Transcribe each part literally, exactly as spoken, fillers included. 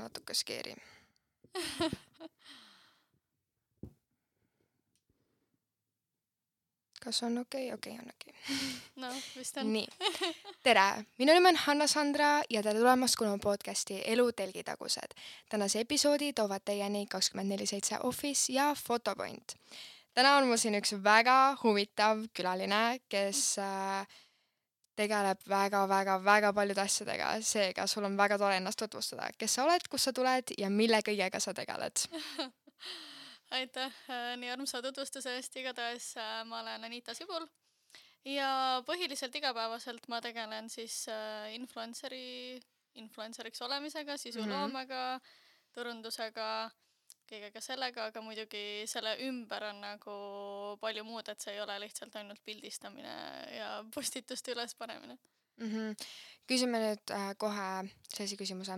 natuke scary. Kas on okei? Okei, on okei. No, vist on. Nii. Tere! Minu nimi on Hanna-Sandra ja tere tulemast kuulama podcasti Elu telgitagused. Tänase episoodi toovad teieni kakskümmend neli seitse Office ja Photopoint. Täna on mul siin üks väga huvitav külaline, kes äh, tegeleb väga-väga-väga paljude asjadega. Seega sul on väga tore ennast tutvustada. Kes sa oled, kus sa tuled ja mille kõigega sa tegeled? Aitäh nii armsa tutvustuse eest. Igatahes ma olen Anita Sibul ja põhiliselt igapäevaselt ma tegelen siis influenceri, influenceriks olemisega, sisuloomega, turundusega, kõigega sellega, aga muidugi selle ümber on nagu palju muud, et see ei ole lihtsalt ainult pildistamine ja postituste üles panemine. Mm-hmm. Küsime nüüd äh, kohe sellise küsimuse.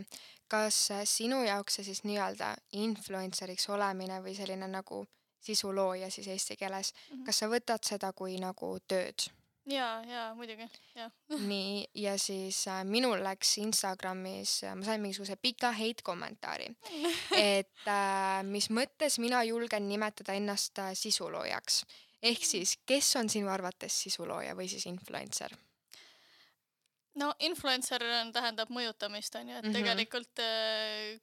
Kas äh, sinu jaoks see siis nii-öelda influenceriks olemine või selline nagu sisulooja siis eesti keeles, mm-hmm. kas sa võtad seda kui nagu tööd? Jaa, jaa, muidugi, jaa. Nii, ja siis äh, minul läks Instagramis, ma sain mingisuguse pika hate kommentaari, et äh, mis mõttes mina julgen nimetada ennast äh, sisuloojaks. Ehk siis, kes on sinu arvates sisulooja või siis influencer? No influencer tähendab mõjutamist, on ju, et mm-hmm. tegelikult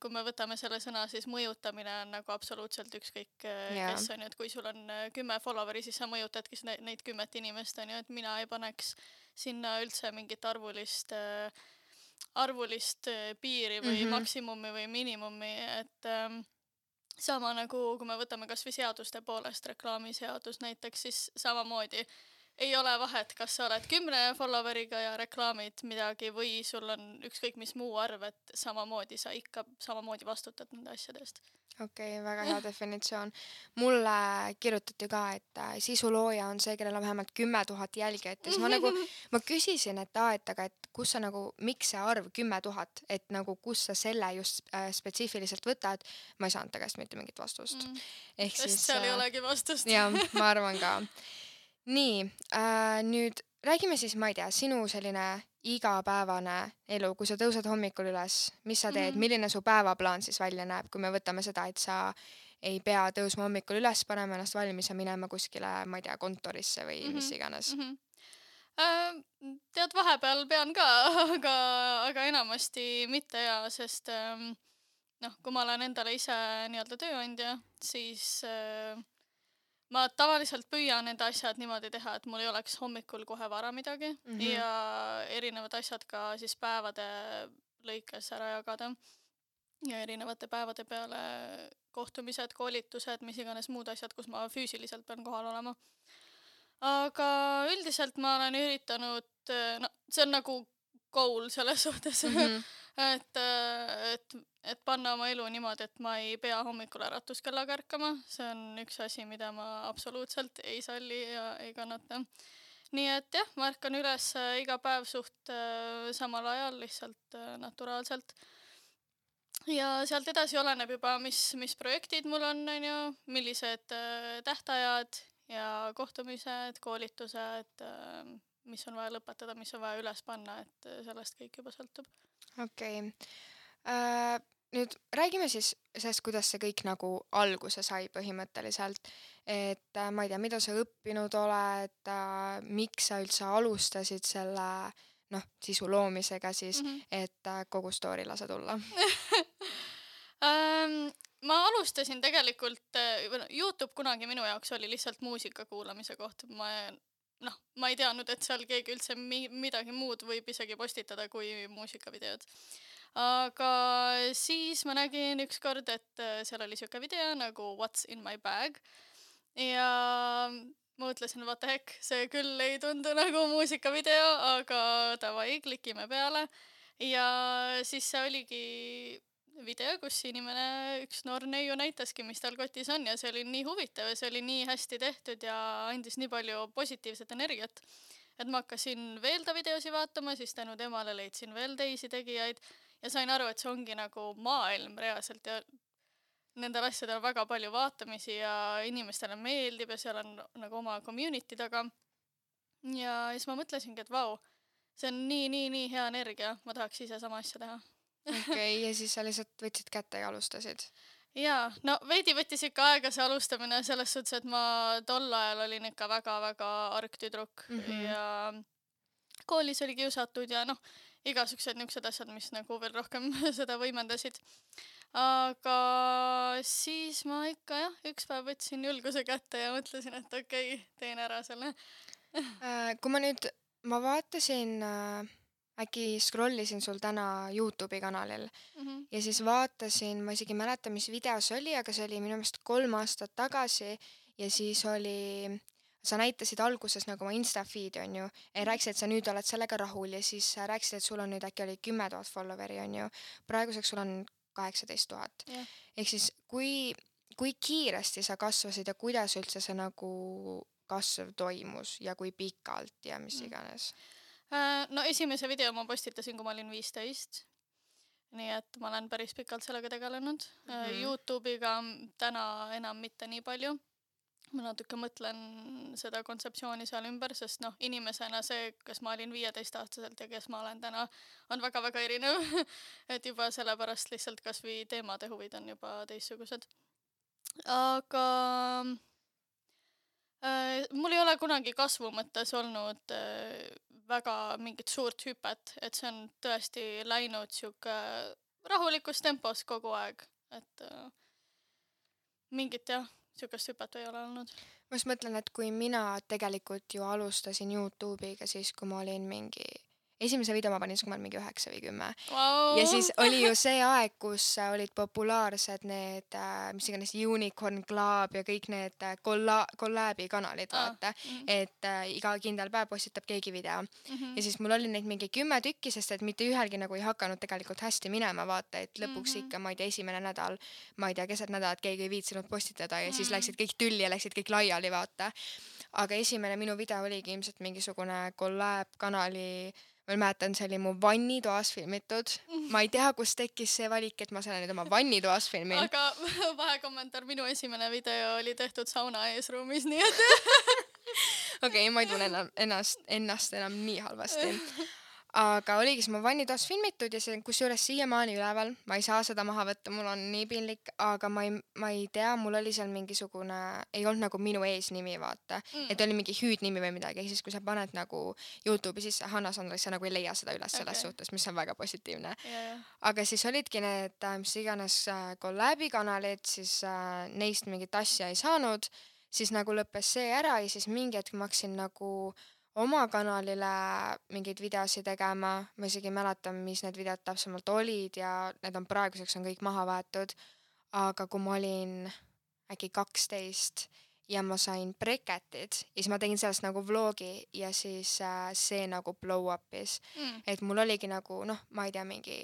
kui me võtame selle sõna, siis mõjutamine on nagu absoluutselt ükskõik yeah. kes on ju, et kui sul on kümme followeri, siis sa mõjutadki neid kümmet inimest, on ju, et mina ei paneks sinna üldse mingit arvulist, arvulist piiri või mm-hmm. maksimumi või minimumi, et ähm, sama nagu, kui me võtame kas või seaduste poolest, reklaamiseadus näiteks, siis samamoodi ei ole vahet, kas sa oled kümne followeriga ja reklaamid midagi või sul on ükskõik mis muu arv, et samamoodi sa ikka samamoodi vastutad nende asjadest. Okei, okay, väga hea definitsioon. Mulle kirjutati ka, et sisulooja on see, kellel on vähemalt kümme tuhat jälgijat. Ja siis ma nagu, ma küsisin, et aa, et aga, et kus sa nagu, miks see arv kümme tuhat, et nagu kus sa selle just äh, spetsiifiliselt võtad, ma ei saanud tagasi mitte mingit vastust. Mm. Ehk Sest siis, seal äh, ei olegi vastust. Jah, ma arvan ka. Nii, äh, nüüd räägime siis, ma ei tea, sinu selline igapäevane elu, kui sa tõused hommikul üles, mis sa teed, mm-hmm. milline su päevaplaan siis välja näeb, kui me võtame seda, et sa ei pea tõusma hommikul üles, panema ennast valmis ja minema kuskile, ma ei tea, kontorisse või mm-hmm. mis iganes. Mm-hmm. Äh, tead, vahepeal pean ka, aga, aga enamasti mitte ja, sest ähm, noh, kui ma olen endale ise nii-öelda tööandja, siis äh, ma tavaliselt püüan need asjad niimoodi teha, et mul ei oleks hommikul kohe vara midagi mm-hmm. ja erinevad asjad ka siis päevade lõikes ära jagada ja erinevate päevade peale kohtumised, koolitused, mis iganes muud asjad, kus ma füüsiliselt pean kohal olema. Aga üldiselt ma olen üritanud, no see on nagu goal selles suhtes, mm-hmm. et, et, et panna oma elu niimoodi, et ma ei pea hommikul äratuskellaga ärkama. See on üks asi, mida ma absoluutselt ei salli ja ei kannata. Nii et jah, ma ärkan üles iga päev suht samal ajal, lihtsalt naturaalselt. Ja sealt edasi oleneb juba, mis, mis projektid mul on, on ju, millised tähtajad ja kohtumised, koolitused, mis on vaja lõpetada, mis on vaja üles panna, et sellest kõik juba sõltub. Okei. Okay. Uh, nüüd räägime siis sellest, kuidas see kõik nagu alguse sai põhimõtteliselt. Et uh, ma ei tea, mida sa õppinud oled, uh, miks sa üldse alustasid selle noh, sisu loomisega siis, mm-hmm. et uh, kogu story lase tulla. um, ma alustasin tegelikult, YouTube kunagi minu jaoks oli lihtsalt muusika kuulamise koht. Ma noh, ma ei teadnud, et seal keegi üldse mi- midagi muud võib isegi postitada kui muusikavideod. Aga siis ma nägin üks kord, et seal oli siuke video nagu What's in my bag ja ma mõtlesin, what the heck, see küll ei tundu nagu muusikavideo, aga davai, klikime peale ja siis see oligi video, kus inimene, üks noor neiu näitaski, mis tal kotis on ja see oli nii huvitav ja see oli nii hästi tehtud ja andis nii palju positiivset energiat, et ma hakkasin veel ta videosi vaatama, siis tänu temale leidsin veel teisi tegijaid ja sain aru, et see ongi nagu maailm reaalselt ja nendel asjadel on väga palju vaatamisi ja inimestele meeldib ja seal on nagu oma community taga. Ja siis ma mõtlesingi, et vau, see on nii, nii, nii hea energia, ma tahaks ise sama asja teha. okei, ja siis sa lihtsalt võtsid kätte ja alustasid? jaa, no veidi võttis ikka aega see alustamine selles suhtes, et ma tol ajal olin ikka väga-väga argtüdruk Mhm. ja koolis oli kiusatud ja noh, igasugused niisugused asjad, mis nagu veel rohkem seda võimendasid. Aga siis ma ikka jah, üks päev võtsin julguse kätte ja mõtlesin, et okei okay,, teen ära selle. Äh, kui ma nüüd, ma vaatasin, äh, äkki scrollisin sul täna Youtube'i kanalil Mhm. ja siis vaatasin, ma isegi ei mäleta, mis video see oli, aga see oli minu meelest kolm aastat tagasi ja siis oli, sa näitasid alguses nagu oma Insta feed'i, on ju, ja rääkisid, et sa nüüd oled sellega rahul ja siis sa rääkisid, et sul on nüüd äkki oli kümme tuhat followeri, on ju. Praeguseks sul on kaheksateist tuhat. Jah. Ehk siis kui, kui kiiresti sa kasvasid ja kuidas üldse see nagu kasv toimus ja kui pikalt ja mis Mm. iganes? Äh, No esimese video ma postitasin, kui ma olin viisteist. Nii et ma olen päris pikalt sellega tegelenud. Äh, Mhm. Youtube'iga m- täna enam mitte nii palju. Ma natuke mõtlen seda kontseptsiooni seal ümber, sest noh, inimesena see, kas ma olin viieteistaastaselt ja kes ma olen täna, on väga-väga erinev. Et juba sellepärast lihtsalt kas või teemade huvid on juba teistsugused. Aga äh, mul ei ole kunagi kasvu mõttes olnud äh, väga mingit suurt hüpet, et see on tõesti läinud sihuke rahulikus tempos kogu aeg, et äh, mingit jah, sihukest hüpet ei ole olnud. Ma just mõtlen, et kui mina tegelikult ju alustasin Youtube'iga siis, kui ma olin mingi, esimese video ma panin siis, kui ma olin mingi üheksa või kümme. Wow. Ja siis oli ju see aeg, kus äh, olid populaarsed need, äh, mis iganes Unicorn Club ja kõik need äh, kolla- kollaabi kanalid, Aa, vaata. mhm, Et äh, iga kindel päev postitab keegi video. mhm, Ja siis mul oli neid mingi kümme tükki, sest et mitte ühelgi nagu ei hakanud tegelikult hästi minema, vaata, et lõpuks Mhm. ikka, ma ei tea, esimene nädal, ma ei tea, keset nädalat keegi ei viitsinud postitada ja siis Mm. läksid kõik tülli ja läksid kõik laiali, vaata. Aga esimene minu video oligi ilmselt mingisugune kollab kanali, ma mäletan, see oli mu vannitoas filmitud. Ma ei tea, kus tekkis see valik, et ma selle nüüd oma vannitoas filmin. aga vahekommentaar, minu esimene video oli tehtud sauna eesruumis, nii et Okei, ma ei tunne enam, ennast, ennast enam nii halvasti. Aga oligi siis mu vannitoas filmitud ja see on kusjuures siiamaani üleval. Ma ei saa seda maha võtta, mul on nii piinlik, aga ma ei, ma ei tea, mul oli seal mingisugune, ei olnud nagu minu eesnimi, vaata. Mm. Et oli mingi hüüdnimi või midagi, ehk siis kui sa paned nagu Youtube'i sisse Hanna Sandra, sa nagu ei leia seda üles selles Okei. suhtes, mis on väga positiivne. ja, ja. Aga siis olidki need, äh, mis iganes äh, kollaabi kanalid, siis äh, neist mingit asja ei saanud, siis nagu lõppes see ära ja siis mingi hetk ma hakkasin nagu oma kanalile mingeid videosi tegema, ma isegi ei mäleta, mis need videod täpsemalt olid ja need on praeguseks on kõik maha võetud, aga kui ma olin äkki kaksteist ja ma sain breketid ja siis ma tegin sellest nagu vlogi ja siis äh, see nagu blow up'is. Mm. Et mul oligi nagu, noh, ma ei tea, mingi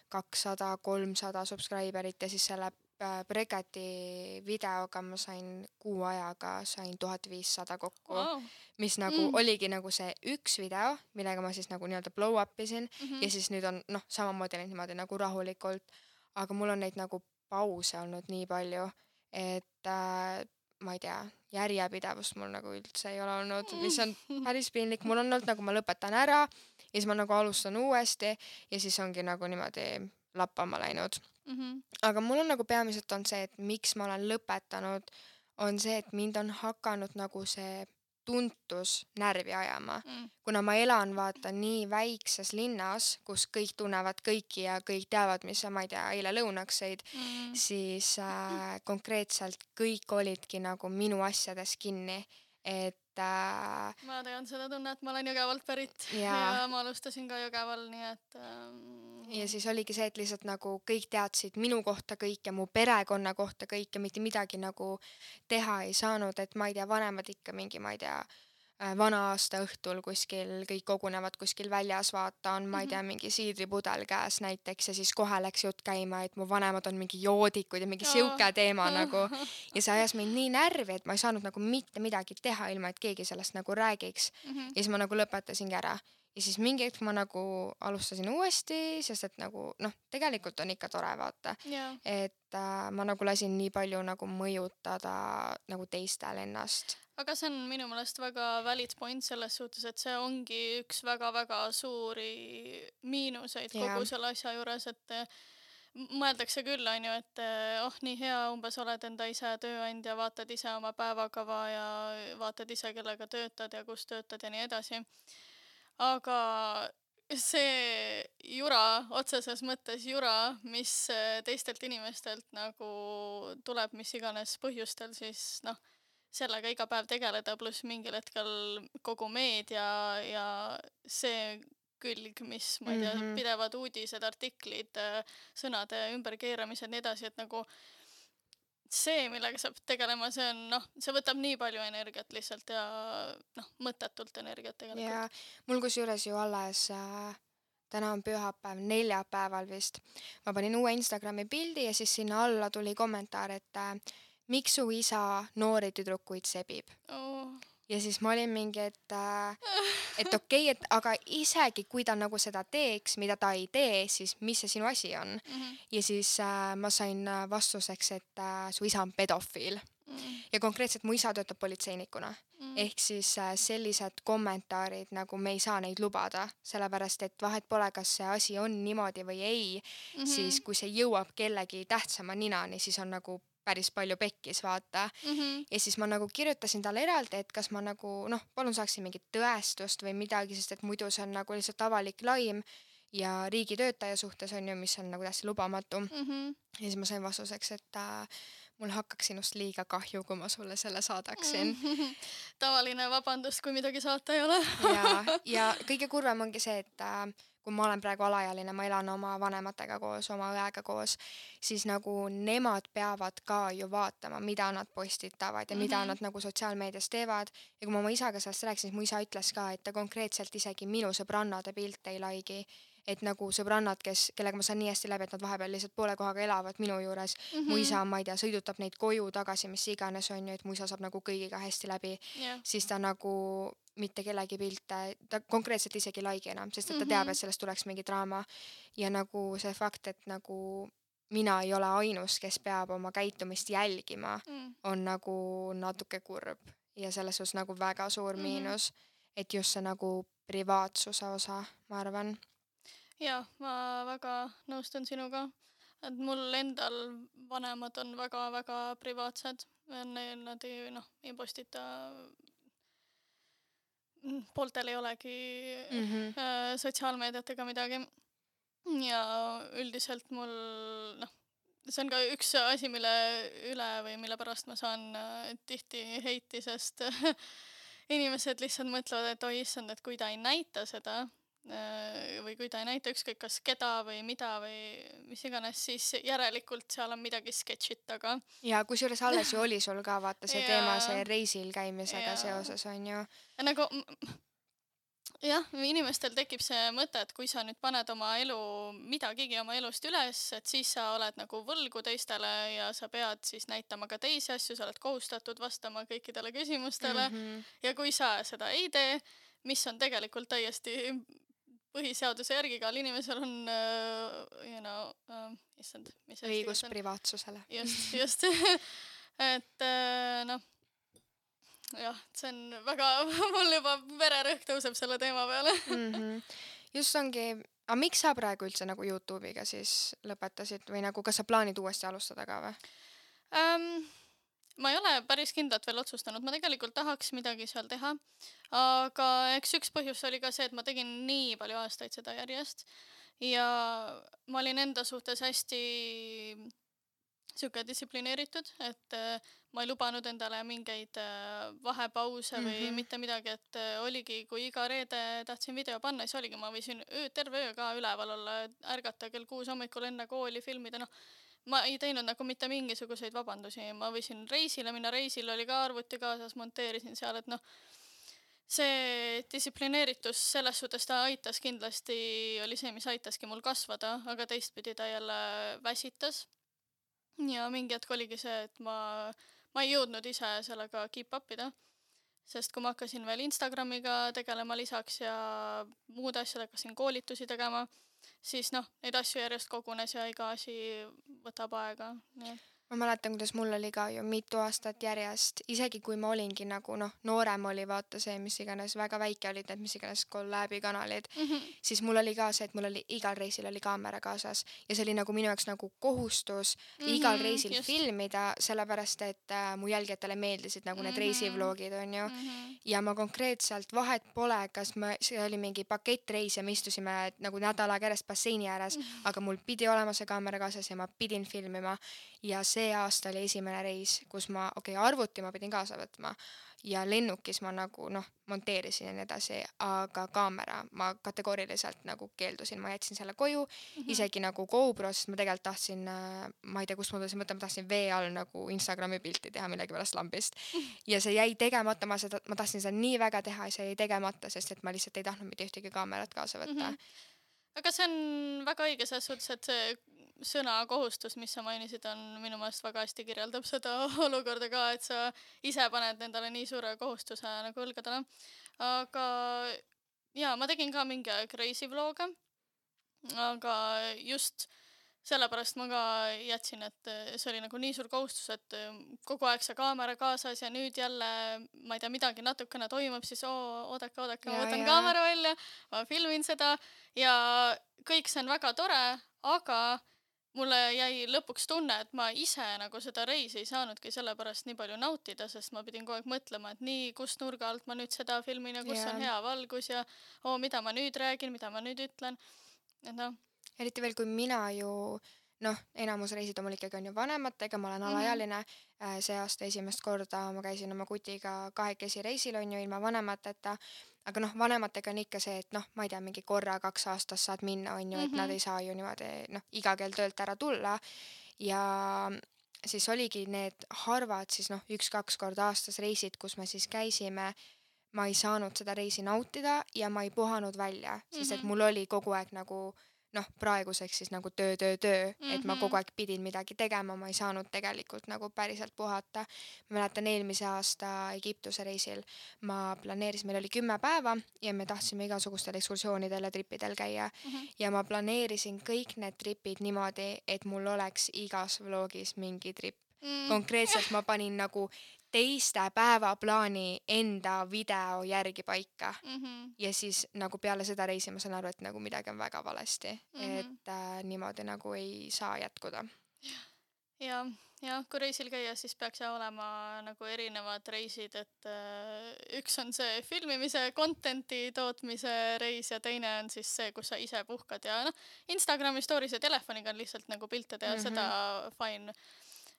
kakssada kolmsada subscriberit ja siis selle äh, breketi videoga ma sain kuu ajaga sain tuhat viissada kokku, Wow. mis nagu Mm. mm. oligi nagu see üks video, millega ma siis nagu nii-öelda blow up isin Mhm. ja siis nüüd on, noh, samamoodi läinud niimoodi nagu rahulikult, aga mul on neid nagu pause olnud nii palju, et äh, ma ei tea, järjepidevust mul nagu üldse ei ole olnud, mis on päris piinlik. Mul on olnud nagu ma lõpetan ära ja siis ma nagu alustan uuesti ja siis ongi nagu niimoodi lappama läinud. Mhm. Aga mul on nagu peamiselt on see, et miks ma olen lõpetanud, on see, et mind on hakanud nagu see tuntus närvi ajama. Mm. Kuna ma elan, vaata, nii väikses linnas, kus kõik tunnevad kõiki ja kõik teavad, mis sa, ma ei tea, eile lõunaks sõid, Mm. siis äh, konkreetselt kõik olidki nagu minu asjades kinni. Et äh, ma tean seda tunnet, ma olen Jõgevalt pärit ja, Jaa. ja ma alustasin ka Jõgeval, nii et ähm, ja siis oligi see, et lihtsalt nagu kõik teadsid minu kohta kõik ja mu perekonna kohta kõik ja mitte midagi nagu teha ei saanud, et ma ei tea, vanemad ikka mingi, ma ei tea, äh, vana aasta õhtul kuskil, kõik kogunevad kuskil väljas, vaata, on, ma ei tea, mingi siidripudel käes näiteks ja siis kohe läks jutt käima, et mu vanemad on mingi joodikud ja mingi siuke teema nagu. Ja see ajas mind nii närvi, et ma ei saanud nagu mitte midagi teha, ilma et keegi sellest nagu räägiks. Mhm. Ja siis ma nagu lõpetasingi ära. Ja siis mingi hetk ma nagu alustasin uuesti, sest et nagu, noh, tegelikult on ikka tore, vaata. Jaa. Et äh, ma nagu lasin nii palju nagu mõjutada nagu teistel ennast. aga see on minu meelest väga valid point selles suhtes, et see ongi üks väga-väga suuri miinuseid Jaa. kogu selle asja juures, et eh, m- mõeldakse küll, on ju, et eh, oh, nii hea, umbes oled enda ise tööandja, vaatad ise oma päevakava ja vaatad ise, kellega töötad ja kus töötad ja nii edasi. Aga see jura, otseses mõttes jura, mis eh, teistelt inimestelt nagu tuleb mis iganes põhjustel, siis noh, sellega iga päev tegeleda, pluss mingil hetkel kogu meedia ja see külg, mis ma ei tea, Mhm. pidevad uudised, artiklid, eh, sõnade ümberkeeramised, nii edasi, et nagu see, millega saab tegelema, see on noh, see võtab nii palju energiat lihtsalt ja noh, mõttetult energiat tegelikult. ja mul kusjuures ju alles äh, täna on pühapäev, neljapäeval vist. Ma panin uue Instagrami pildi ja siis sinna alla tuli kommentaar, et äh, miks su isa noori tüdrukuid sebib. Oh. Ja siis ma olin mingi, et, äh, et okei, et aga isegi kui ta nagu seda teeks, mida ta ei tee, siis mis see sinu asi on? Mhm. Ja siis äh, ma sain äh, vastuseks, et äh, su isa on pedofiil. Mm. Ja konkreetselt mu isa töötab politseinikuna. Mm. Ehk siis äh, sellised kommentaarid, nagu me ei saa neid lubada, sellepärast et vahet pole, kas see asi on niimoodi või ei, Mhm. siis kui see jõuab kellegi tähtsama ninani, siis on nagu päris palju pekkis, vaata. Mhm. Ja siis ma nagu kirjutasin talle eraldi, et kas ma nagu, noh, palun saaksin mingit tõestust või midagi, sest et muidu see on nagu lihtsalt avalik laim ja riigitöötaja suhtes on ju, mis on nagu täiesti lubamatu. Mhm. Ja siis ma sain vastuseks, et äh, mul hakkaks sinust liiga kahju, kui ma sulle selle saadaksin. Tavaline vabandust, kui midagi saata ei ole. ja, ja kõige kurvem ongi see, et äh, kui ma olen praegu alaealine, ma elan oma vanematega koos, oma õega koos, siis nagu nemad peavad ka ju vaatama, mida nad postitavad ja mida Mhm. nad nagu sotsiaalmeedias teevad. Ja kui ma oma isaga sellest rääkisin, siis mu isa ütles ka, et ta konkreetselt isegi minu sõbrannade pilte ei laigi. Et nagu sõbrannad, kes, kellega ma saan nii hästi läbi, et nad vahepeal lihtsalt poole kohaga elavad minu juures. Mu isa, ma ei tea, sõidutab neid koju tagasi, mis iganes on ju, et mu isa saab nagu kõigiga hästi läbi. Jah. Siis ta nagu mitte kellegi pilte, ta konkreetselt isegi ei laigi enam, sest et ta teab, Mhm. et sellest tuleks mingi draama. Ja nagu see fakt, et nagu mina ei ole ainus, kes peab oma käitumist jälgima, Mm. on nagu natuke kurb. Ja selles suhtes nagu väga suur Mhm. miinus, et just see nagu privaatsuse osa, ma arvan. Jaa, ma väga nõustun sinuga, et mul endal vanemad on väga-väga privaatsed. Neil nad ei, noh, ei postita, mm, pooltel ei olegi Mhm. äh, sotsiaalmeediat ega midagi. Ja üldiselt mul, noh, see on ka üks asi, mille üle või mille pärast ma saan äh, tihti heiti, sest inimesed lihtsalt mõtlevad, et oi issand, et kui ta ei näita seda äh, või kui ta ei näita ükskõik kas keda või mida või mis iganes, siis järelikult seal on midagi sketšit taga. Ja kusjuures alles ju oli sul ka vaata see teema, Jaa. see reisil käimisega Jaa. seoses on ju. Ja nagu m- jah, inimestel tekib see mõte, et kui sa nüüd paned oma elu, midagigi oma elust üles, et siis sa oled nagu võlgu teistele ja sa pead siis näitama ka teisi asju, sa oled kohustatud vastama kõikidele küsimustele. Mhm. Ja kui sa seda ei tee, mis on tegelikult täiesti põhiseaduse järgi, igal inimesel on uh, you know, uh, issand, mis see eesti Õigus keeles on? privaatsusele. Just, just. et uh, noh, jah, see on väga, mul juba vererõhk tõuseb selle teema peale. Mhm. Just ongi, aga miks sa praegu üldse nagu YouTube'iga siis lõpetasid või nagu, kas sa plaanid uuesti alustada ka või? Um, ma ei ole päris kindlalt veel otsustanud, ma tegelikult tahaks midagi seal teha, aga eks üks põhjus oli ka see, et ma tegin nii palju aastaid seda järjest ja ma olin enda suhtes hästi siuke distsiplineeritud, et äh, ma ei lubanud endale mingeid äh, vahepause või Mhm. mitte midagi, et äh, oligi, kui iga reede tahtsin video panna, siis oligi, ma võisin öö, terve öö ka üleval olla, ärgata kell kuus hommikul enne kooli filmida, noh, ma ei teinud nagu mitte mingisuguseid vabandusi, ma võisin reisile minna, reisil oli ka arvuti kaasas, monteerisin seal, et noh, see distsiplineeritus selles suhtes ta aitas kindlasti, oli see, mis aitaski mul kasvada, aga teistpidi ta jälle väsitas. Ja mingi hetk oligi see, et ma, ma ei jõudnud ise sellega keep up ida, sest kui ma hakkasin veel Instagramiga tegelema lisaks ja muud asjad, hakkasin koolitusi tegema, siis noh, neid asju järjest kogunes ja iga asi võtab aega. Nii. ma mäletan, kuidas mul oli ka ju mitu aastat järjest, isegi kui ma olingi nagu noh, noorem oli vaata see, mis iganes, väga väike olid need, mis iganes kollaabi kanalid, mm. -hmm. siis mul oli ka see, et mul oli igal reisil oli kaamera kaasas ja see oli nagu minu jaoks nagu kohustus mm -hmm, igal reisil just. filmida, sellepärast et äh, mu jälgijatele meeldisid nagu need mm -hmm. reisivlogid on ju. mm. -hmm. Ja ma konkreetselt vahet pole, kas ma, see oli mingi pakettreis ja me istusime nagu nädal aega järjest basseini ääres, Mm. aga mul pidi olema see kaamera kaasas ja ma pidin filmima. Ja see aasta oli esimene reis, kus ma, okei okay,, arvuti ma pidin kaasa võtma ja lennukis ma nagu noh, monteerisin ja nii edasi, aga kaamera ma kategooriliselt nagu keeldusin, ma jätsin selle koju, Mhm. isegi nagu GoPro, sest ma tegelikult tahtsin, äh, ma ei tea, kust ma tulsin mõtlema, ma tahtsin vee all nagu Instagrami pilti teha millegipärast lambist. Ja see jäi tegemata, ma seda, ma tahtsin seda nii väga teha ja see jäi tegemata, sest et ma lihtsalt ei tahtnud mitte ühtegi kaamerat kaasa võtta. Mhm. aga see on väga õige selles suhtes, et see sõna kohustus, mis sa mainisid, on minu meelest väga hästi kirjeldab seda olukorda ka, et sa ise paned endale nii suure kohustuse nagu õlgadele. Aga jaa, ma tegin ka mingi aeg reisivlooge, aga just sellepärast ma ka jätsin, et see oli nagu nii suur kohustus, et kogu aeg see kaamera kaasas ja nüüd jälle, ma ei tea, midagi natukene toimub, siis oo, oodake, oodake, ma Ja, võtan ja. kaamera välja, ma filmin seda ja kõik see on väga tore, aga mulle jäi lõpuks tunne, et ma ise nagu seda reisi ei saanudki sellepärast nii palju nautida, sest ma pidin kogu aeg mõtlema, et nii, kus nurga alt ma nüüd seda filmin ja kus Jaa. on hea valgus ja oo, mida ma nüüd räägin, mida ma nüüd ütlen. Et noh, Eriti veel, kui mina ju, noh, enamus reisid on mul ikkagi on ju vanematega, ma olen Mhm. alaealine. Äh, See aasta esimest korda ma käisin oma kutiga kahekesi reisil on ju ilma vanemateta. Aga noh, vanematega on ikka see, et noh, ma ei tea, mingi korra kaks aastas saad minna, on ju, et nad Mhm. ei saa ju niimoodi, noh, iga kell töölt ära tulla. Ja siis oligi need harvad siis noh, üks-kaks korda aastas reisid, kus me siis käisime. Ma ei saanud seda reisi nautida ja ma ei puhanud välja, sest et Mhm. mul oli kogu aeg nagu noh, praeguseks siis nagu töö, töö, töö, et ma Mhm. kogu aeg pidin midagi tegema, ma ei saanud tegelikult nagu päriselt puhata. Ma mäletan eelmise aasta Egiptuse reisil ma planeerisin, meil oli kümme päeva ja me tahtsime igasugustel ekskursioonidel ja tripidel käia Mhm. ja ma planeerisin kõik need tripid niimoodi, et mul oleks igas vlogis mingi trip. Mm. Konkreetselt ma panin nagu teiste päevaplaani enda video järgi paika. Mhm. Ja siis nagu peale seda reisi ma saan aru, et nagu midagi on väga valesti, Mhm. et äh, niimoodi nagu ei saa jätkuda. ja, ja kui reisil käia, siis peaks ja olema nagu erinevad reisid, et äh, üks on see filmimise, content'i tootmise reis ja teine on siis see, kus sa ise puhkad ja noh, Instagrami stories ja telefoniga on lihtsalt nagu pilte teha, Mhm. seda fine.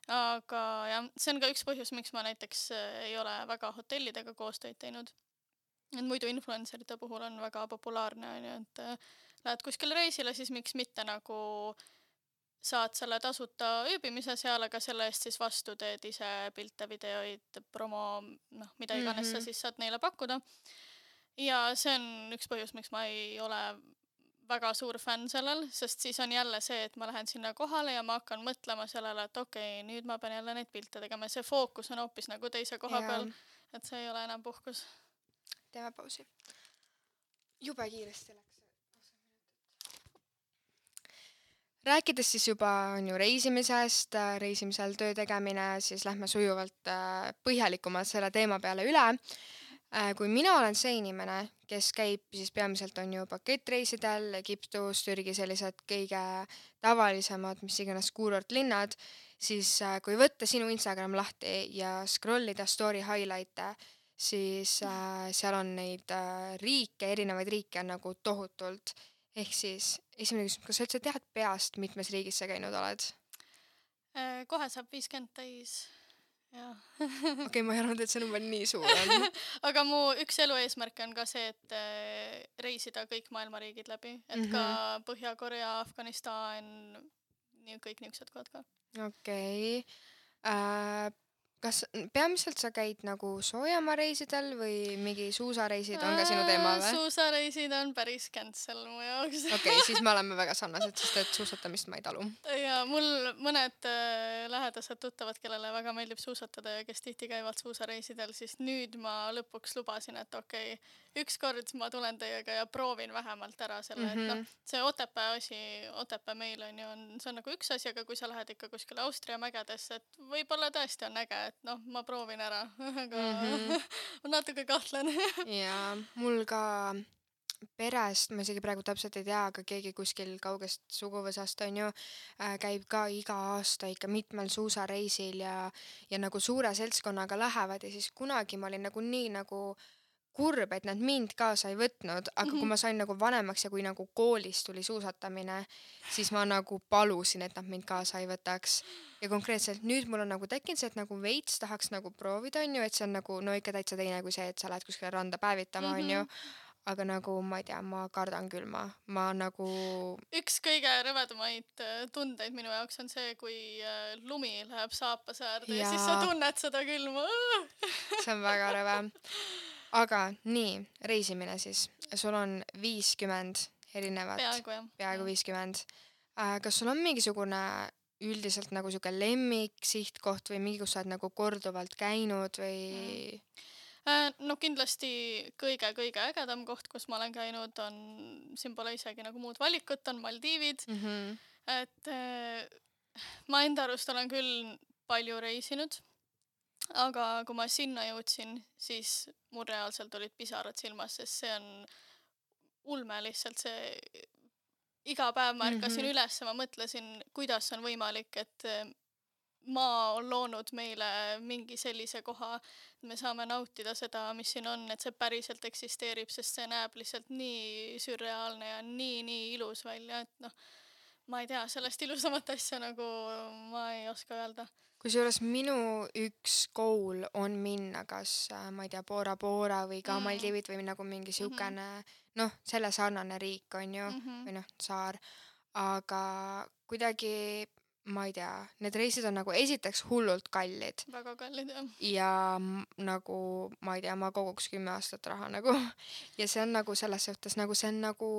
Aga jah, see on ka üks põhjus, miks ma näiteks äh, ei ole väga hotellidega koostööd teinud. Et muidu influencerite puhul on väga populaarne, on ju, et äh, lähed kuskile reisile, siis miks mitte nagu saad selle tasuta ööbimise seal, aga selle eest siis vastu teed ise pilte, videoid, promo, noh, mida iganes sa Mhm. siis saad neile pakkuda. Ja see on üks põhjus, miks ma ei ole väga suur fänn sellel, sest siis on jälle see, et ma lähen sinna kohale ja ma hakkan mõtlema sellele, et okei, okay, nüüd ma pean jälle neid pilte tegema. See fookus on hoopis nagu teise koha Jaa. peal, et see ei ole enam puhkus. Teeme pausi. Jube kiiresti läks. Rääkides siis juba on ju reisimisest, äh, reisimisel töö tegemine, siis lähme sujuvalt äh, põhjalikumalt selle teema peale üle. Äh, Kui mina olen see inimene, kes käib siis peamiselt on ju pakettreisidel, Egiptus, Türgi, sellised kõige tavalisemad, mis iganes kuurortlinnad, siis äh, kui võtta sinu Instagram lahti ja scrollida story highlight'e, siis äh, seal on neid äh, riike, erinevaid riike on nagu tohutult. Ehk siis esimene küsimus, kas sa üldse tead peast, mitmes riigis sa käinud oled? Äh, Kohe saab viiskümmend täis. Jah. Okei, okay, ma ei arvanud, et see number nii suur on. Aga mu üks elu eesmärk on ka see, et äh, reisida kõik maailma riigid läbi, et Mhm. ka Põhja-Korea, Afganistan, nii kõik niisugused kohad ka. Okei. Äh, kas peamiselt sa käid nagu soojamaareisidel või mingi suusareisid on ka sinu teema või? Suusareisid on päris cancel mu jaoks. Okei, okay, siis me oleme väga sarnased, sest et suusatamist ma ei talu. Ja mul mõned äh, lähedased tuttavad, kellele väga meeldib suusatada ja kes tihti käivad suusareisidel, siis nüüd ma lõpuks lubasin, et okei, okay, ükskord ma tulen teiega ja proovin vähemalt ära selle, mm -hmm. et noh, see Otepää asi, Otepää meil on ju, on, see on nagu üks asi, aga kui sa lähed ikka kuskile Austria mägedesse, et võib-olla tõesti on äge, et noh, ma proovin ära, aga mm -hmm. ma natuke kahtlen. ja mul ka perest, ma isegi praegu täpselt ei tea, aga keegi kuskil kaugest suguvõsast on ju, äh, käib ka iga aasta ikka mitmel suusareisil ja, ja nagu suure seltskonnaga lähevad ja siis kunagi ma olin nagu nii nagu kurb, et nad mind kaasa ei võtnud, aga mm-hmm. kui ma sain nagu vanemaks ja kui nagu koolis tuli suusatamine, siis ma nagu palusin, et nad mind kaasa ei võtaks. Ja konkreetselt nüüd mul on nagu tekkinud see, et nagu veits tahaks nagu proovida, on ju, et see on nagu no ikka täitsa teine kui see, et sa lähed kuskile randa päevitama, on ju. Aga nagu ma ei tea, ma kardan külma. Ma nagu... Üks kõige rõvedamaid tundeid minu jaoks on see, kui lumi läheb saapasäärde ja. ja siis sa tunned seda külma. See on väga rõve. Aga nii, reisimine siis. Sul on viiskümmend erinevat. Peaaegu jah. Peaaegu viiskümmend. Kas sul on mingisugune üldiselt nagu siuke lemmik sihtkoht või mingi, kus sa oled nagu korduvalt käinud või... No kindlasti kõige-kõige ägedam koht, kus ma olen käinud, on, siin pole isegi nagu muud valikut, on Maldiivid. Mm-hmm. Et ma enda arust olen küll palju reisinud, aga kui ma sinna jõudsin, siis mul reaalselt olid pisarad silmas, sest see on ulme lihtsalt see... Iga päev ma ärkasin mm-hmm. üles ja ma mõtlesin, kuidas on võimalik, et maa on loonud meile mingi sellise koha, me saame nautida seda, mis siin on, et see päriselt eksisteerib, sest see näeb lihtsalt nii sürreaalne ja nii, nii ilus välja, et noh, ma ei tea, sellest ilusamat asja nagu ma ei oska öelda. Kusjuures minu üks goal on minna kas, ma ei tea, Bora Bora või ka mm. Maldiivid või nagu mingi siukene, mm-hmm. noh, selle sarnane riik on ju, mm-hmm. või noh, saar, aga kuidagi ma ei tea, need reisid on nagu esiteks hullult kallid. Väga kallid, jah. Ja nagu, ma ei tea, ma koguks kümme aastat raha nagu. Ja see on nagu selles suhtes, nagu see on nagu,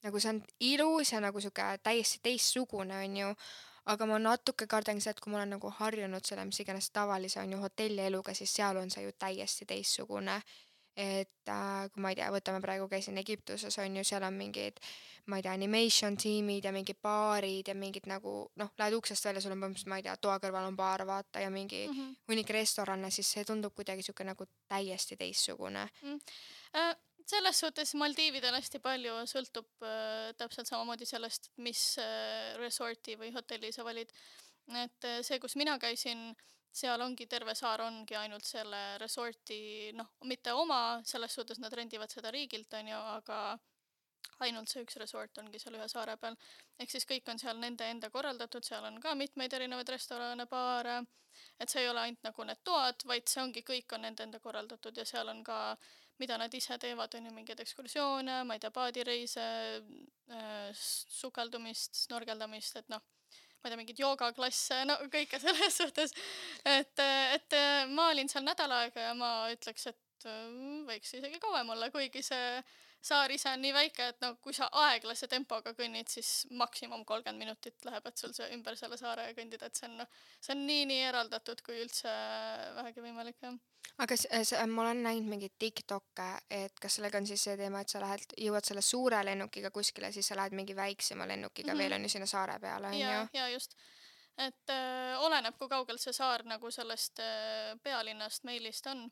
nagu see on ilus ja nagu siuke täiesti teistsugune on ju. Aga ma natuke kardan see, et kui ma olen nagu harjunud selle, mis iganes tavalise on ju hotellieluga, siis seal on see ju täiesti teistsugune. Et äh, kui ma ei tea, võtame praegu käisin Egiptuses on ju, seal on mingid, ma ei tea, animation tiimid ja mingid baarid ja mingid nagu, noh, lähed uksest välja, sul on põhimõtteliselt, ma ei tea, toa kõrval on baar vaata ja mingi mm-hmm. hunnik restorane, siis see tundub kuidagi siuke nagu täiesti teistsugune. Mm. Äh, selles suhtes Maldiividel hästi palju sõltub äh, täpselt samamoodi sellest, mis äh, resorti või hotelli sa valid. Et äh, see, kus mina käisin, seal ongi terve saar ongi ainult selle resorti, noh, mitte oma, selles suhtes nad rendivad seda riigilt, on ju, aga ainult see üks resort ongi seal ühe saare peal. Ehk siis kõik on seal nende enda korraldatud, seal on ka mitmeid erinevaid restorane, baare, et see ei ole ainult nagu need toad, vaid see ongi, kõik on nende enda korraldatud ja seal on ka, mida nad ise teevad, on ju mingeid ekskursioone, ma ei tea, paadireise, sukeldumist, snorgeldamist, et noh, ma ei tea, mingid joogaklasse, no kõike selles suhtes, et, et ma olin seal nädal aega ja ma ütleks, et võiks isegi kauem olla, kuigi see saar ise on nii väike, et no kui sa aeglase tempoga kõnnid, siis maksimum kolmkümmend minutit läheb, et sul see ümber selle saare kõndida, et see on, see on nii, nii eraldatud, kui üldse vähegi võimalik, jah. Aga see, ma olen näinud mingid TikTokke, et kas sellega on siis see teema, et sa lähed, jõuad selle suure lennukiga kuskile, siis sa lähed mingi väiksema lennukiga mm-hmm. veel on ju sinna saare peale, on ja, ju? Ja just, et äh, oleneb, kui kaugel see saar nagu sellest äh, pealinnast meilist on.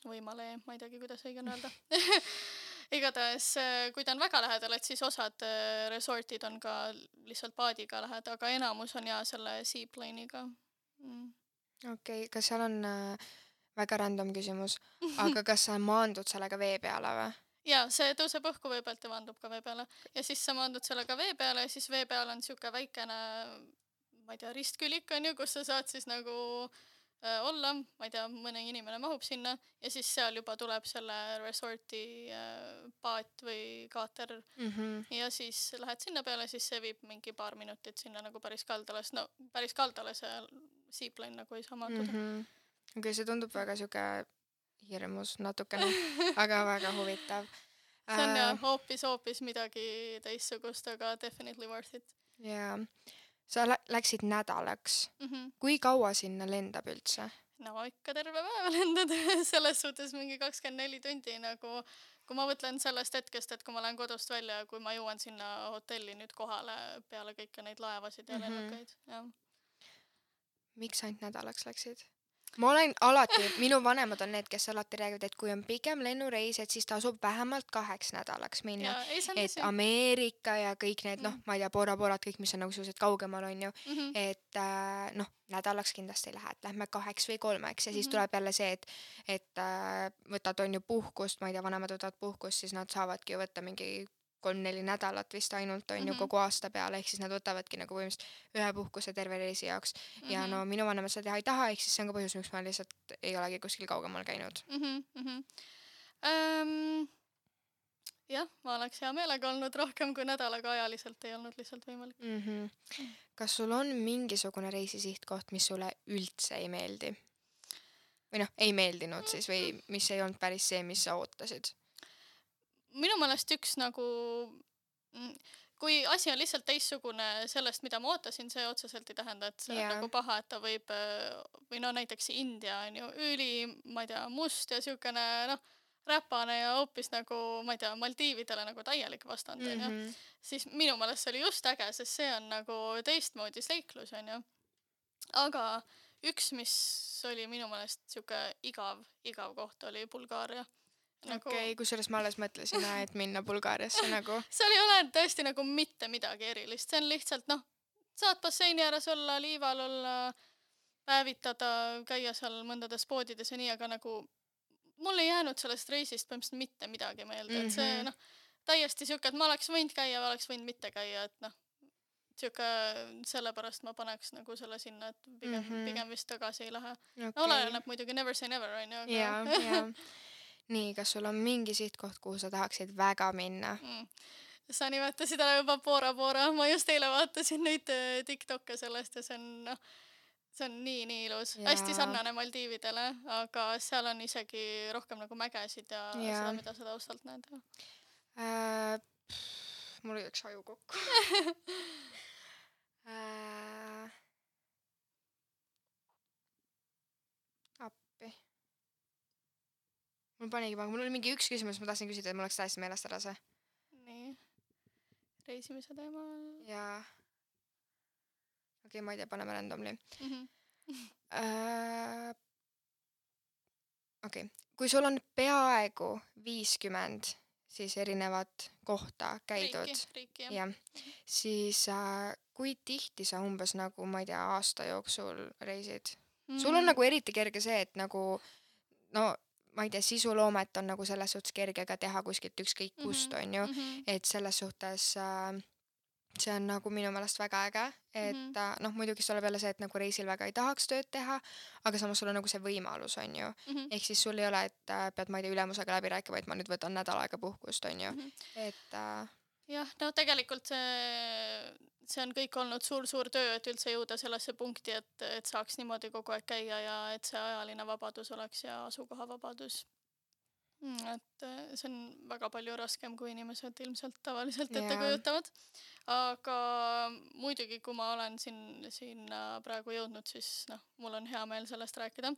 Või Malee, ma ei teagi, kuidas õige on öelda. Igatahes, kui ta on väga lähedal, et siis osad resortid on ka lihtsalt paadiga lähed, aga enamus on ja selle seaplane'iga. Mm. Okei, okay, kas seal on äh, väga random küsimus, aga kas sa maandud sellega vee peale või? Ja, see tõuseb õhku vee pealt ja maandub ka vee peale. Ja siis sa maandud sellega vee peale ja siis vee peal on siuke väikene, ma ei tea, ristkülik on ju, kus sa saad siis nagu olla, ma ei tea, mõne inimene mahub sinna ja siis seal juba tuleb selle resorti paat või kaater mm-hmm. ja siis lähed sinna peale, siis see viib mingi paar minutit sinna nagu päris kaldale, no päris kaldale see seaplane nagu ei saa maanduda mm. -hmm. okei okay,, see tundub väga siuke hirmus natukene, aga väga huvitav. see on jah hoopis, hoopis midagi teistsugust, aga definitely worth it. jaa. Sa lä- läksid nädalaks mm. -hmm. Kui kaua sinna lendab üldse? No ikka terve päeva lendad selles suhtes mingi kakskümmend neli tundi nagu, kui ma mõtlen sellest hetkest, et kui ma lähen kodust välja, kui ma jõuan sinna hotelli nüüd kohale peale kõiki neid laevasid ja mm -hmm. lennukaid, jah. Miks ainult nädalaks läksid? Ma olen alati, minu vanemad on need, kes alati räägivad, et kui on pigem lennureis, et siis tasub vähemalt kaheks nädalaks minna. Ja, ei, see on et tõsi. Ameerika ja kõik need, noh, Mm. ma ei tea, Bora-Borad, kõik, mis on nagu sellised kaugemal, on ju. Mhm. Et äh, noh, nädalaks kindlasti lähed, lähme kaheks või kolmeks ja siis Mhm. tuleb jälle see, et, et äh, võtad on ju puhkust, ma ei tea, vanemad võtavad puhkust, siis nad saavadki ju võtta mingi kolm-neli nädalat vist ainult on ju Mhm. kogu aasta peale, ehk siis nad võtavadki nagu põhimõtteliselt ühe puhkuse terve reisi jaoks. Ja Mhm. no minu vanemad seda teha ei taha, ehk siis see on ka põhjus, miks ma lihtsalt ei olegi kuskil kaugemal käinud. Mhm, mhm. Ähm, jah, ma oleks hea meelega olnud rohkem kui nädalaga, ajaliselt ei olnud lihtsalt võimalik. Mm-hmm. Kas sul on mingisugune reisisihtkoht, mis sulle üldse ei meeldi? Või noh, ei meeldinud siis või mis ei olnud päris see, mis sa ootasid? Minu meelest üks nagu, kui asi on lihtsalt teissugune sellest, mida ma ootasin, see otseselt ei tähenda, et see Jaa. on nagu paha, et ta võib, või no näiteks India on ju üli, ma ei tea, must ja siukene noh, räpane ja hoopis nagu, ma ei tea, Maldiividele nagu täielik vastand on ju. Mm-hmm. Siis minu meelest see oli just äge, sest see on nagu teistmoodi seiklus on ju. Aga üks, mis oli minu meelest siuke igav, igav koht oli Bulgaaria. Nagu... okei okay,, kusjuures ma alles mõtlesin, et minna Bulgaariasse nagu. seal ei ole tõesti nagu mitte midagi erilist, see on lihtsalt noh, saad basseini ääres olla, liival olla, päevitada, käia seal mõndades poodides ja nii, aga nagu mul ei jäänud sellest reisist põhimõtteliselt mitte midagi meelde, mm-hmm. et see noh, täiesti siuke, et ma oleks võinud käia või oleks võinud mitte käia, et noh, siuke sellepärast ma paneks nagu selle sinna, et pigem, mm-hmm. pigem vist tagasi ei lähe okay.. No oleneb muidugi never say never on ju, aga jaa, jaa. Nii, kas sul on mingi sihtkoht, kuhu sa tahaksid väga minna? Mm. Sa nimetasid ära juba Bora-Bora, ma just eile vaatasin neid TikTok'e sellest ja see on noh, see on nii, nii ilus. Ja. Hästi sarnane Maldiividele, aga seal on isegi rohkem nagu mägesid ja, ja. seda, mida sa taustalt näed. Äh, mul ei üks aju kokku. äh, appi. Mul panigi pange, mul oli mingi üks küsimus, ma tahtsin küsida, et mul oleks täiesti meelest ära see. Nii, reisimise teemal. Jaa. Okei, okay, ma ei tea, paneme randomly. Mm-hmm. uh, okei, okay. Kui sul on peaaegu viiskümmend siis erinevat kohta käidud, riiki, riiki, jah. Ja, siis uh, kui tihti sa umbes nagu, ma ei tea, aasta jooksul reisid? Mm. Sul on nagu eriti kerge see, et nagu no ma ei tea, sisuloomet on nagu selles suhtes kerge ka teha kuskilt ükskõik kust on ju, mm-hmm. et selles suhtes äh, see on nagu minu meelest väga äge, et mm-hmm. äh, noh, muidugi see tuleb jälle see, et nagu reisil väga ei tahaks tööd teha, aga samas sul on nagu see võimalus on ju, mm-hmm. ehk siis sul ei ole, et äh, pead ma ei tea ülemusega läbi rääkima, et ma nüüd võtan nädal aega puhkust on ju, mm-hmm. et äh, jah, no tegelikult see, see on kõik olnud suur-suur töö, et üldse jõuda sellesse punkti, et, et saaks niimoodi kogu aeg käia ja et see ajaline vabadus oleks ja asukoha vabadus. Et see on väga palju raskem, kui inimesed ilmselt tavaliselt ette yeah. kujutavad. Aga muidugi, kui ma olen siin, siin praegu jõudnud, siis noh, mul on hea meel sellest rääkida.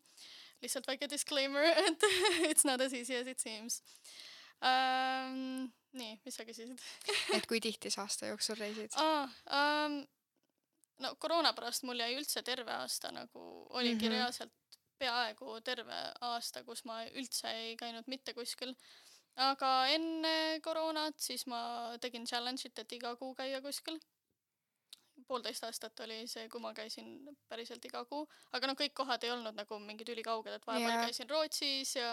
Lihtsalt väike disclaimer, et it's not as easy as it seems. Um, nii, mis sa küsisid? et kui tihti sa aasta jooksul reisid? Ah, um, no koroona pärast mul jäi üldse terve aasta nagu oligi mm-hmm. reaalselt peaaegu terve aasta, kus ma üldse ei käinud mitte kuskil. Aga enne koroonat siis ma tegin challenge'it, et iga kuu käia kuskil. Poolteist aastat oli see, kui ma käisin päriselt iga kuu. Aga no kõik kohad ei olnud nagu mingid ülikauged, et vahepeal yeah. käisin Rootsis ja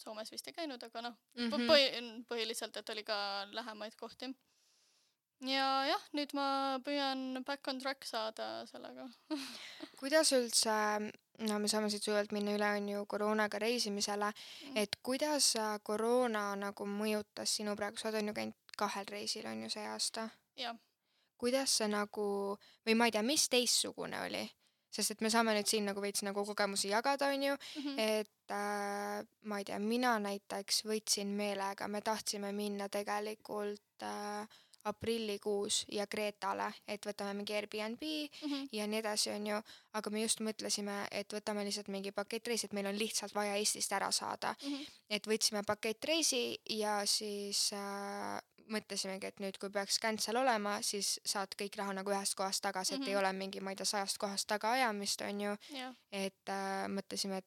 Soomes vist ei käinud, aga noh, mm-hmm. põhi, põhiliselt, et oli ka lähemaid kohti. Ja jah, nüüd ma püüan back on track saada sellega. Kuidas üldse, no me saame siit sujult minna üle on ju koroonaga reisimisele, mm. et kuidas koroona nagu mõjutas sinu praegu, sa oled on ju käinud kahel reisil on ju see aasta? Jah. Kuidas see nagu, või ma ei tea, mis teistsugune oli? sest et me saame nüüd siin nagu veits nagu kogemusi jagada, on ju, mm -hmm. et äh, ma ei tea, mina näiteks võtsin meelega, me tahtsime minna tegelikult äh, aprillikuus ja Kreetale, et võtame mingi Airbnb Mm -hmm. ja nii edasi, on ju, aga me just mõtlesime, et võtame lihtsalt mingi pakettreisi, et meil on lihtsalt vaja Eestist ära saada. Mm -hmm. Et võtsime pakettreisi ja siis äh, mõtlesimegi, et nüüd, kui peaks cancel olema, siis saad kõik raha nagu ühest kohast tagasi, et Mhm. ei ole mingi, ma ei tea, sajast kohast taga ajamist, on ju. jah, Et äh, mõtlesime, et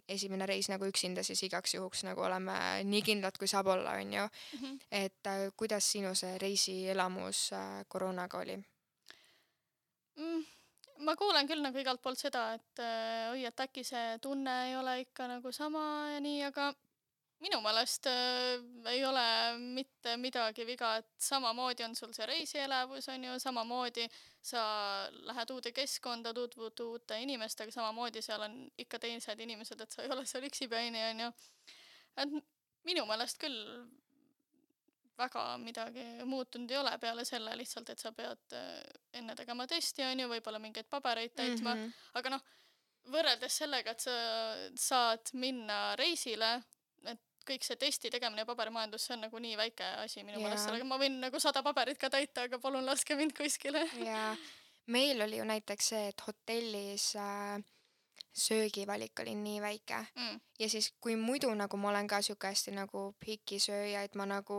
esimene reis nagu üksinda siis igaks juhuks nagu oleme nii kindlad, kui saab olla, on ju. Mhm. Et äh, kuidas sinu see reisielamus äh, koroonaga oli? mm, ma kuulen küll nagu igalt poolt seda, et äh, oi, et äkki see tunne ei ole ikka nagu sama ja nii, aga minu meelest äh, ei ole mitte midagi viga, et samamoodi on sul see reisielevus, on ju, samamoodi sa lähed uude keskkonda, tutvud uute inimestega, samamoodi seal on ikka teised inimesed, et sa ei ole seal üksipäini, on ju. Et minu meelest küll väga midagi muutunud ei ole peale selle lihtsalt, et sa pead äh, enne tegema testi, on ju, võib-olla mingeid pabereid täitma, Mhm. aga noh, võrreldes sellega, et sa saad minna reisile, et kõik see testi tegemine ja paberimajandus, see on nagu nii väike asi minu Jaa. meelest, sellega ma võin nagu sada paberit ka täita, aga palun laske mind kuskile. Ja meil oli ju näiteks see, et hotellis äh, söögivalik oli nii väike. Mm. Ja siis, kui muidu nagu ma olen ka siuke hästi nagu pikisööja, et ma nagu,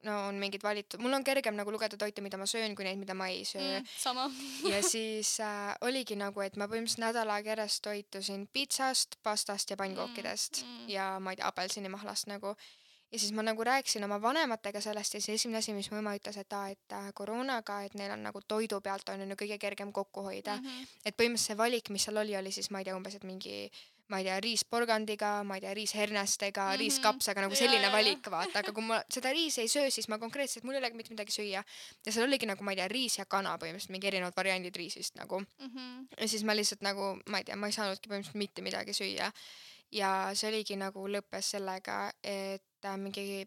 no on mingid valitud, mul on kergem nagu lugeda toite, mida ma söön, kui neid, mida ma ei söö. Mm, sama. Ja siis äh, oligi nagu, et ma põhimõtteliselt nädal aega järjest toitusin pitsast, pastast ja pannkookidest Mm, mm. ja ma ei tea, apelsinimahlast nagu. Ja siis ma nagu rääkisin oma vanematega sellest ja siis esimene asi, mis mu ema ütles, et aa, et äh, koroonaga, et neil on nagu toidu pealt on ju kõige kergem kokku hoida. Mhm. Et põhimõtteliselt see valik, mis seal oli, oli siis, ma ei tea, umbes, et mingi, ma ei tea, riis porgandiga, ma ei tea, riis hernestega, Mhm. riis kapsaga, nagu Jaa, selline jaa, valik, vaata, aga kui ma seda riisi ei söö, siis ma konkreetselt, mul ei olegi mitte midagi süüa. Ja seal oligi nagu, ma ei tea, riis ja kana põhimõtteliselt, mingi erinevad variandid riisist nagu. Mhm. Ja siis ma lihtsalt nagu, ma ei tea, ma ei saanudki põhimõtteliselt mitte midagi süüa. Ja see oligi nagu lõppes sellega, et äh, mingi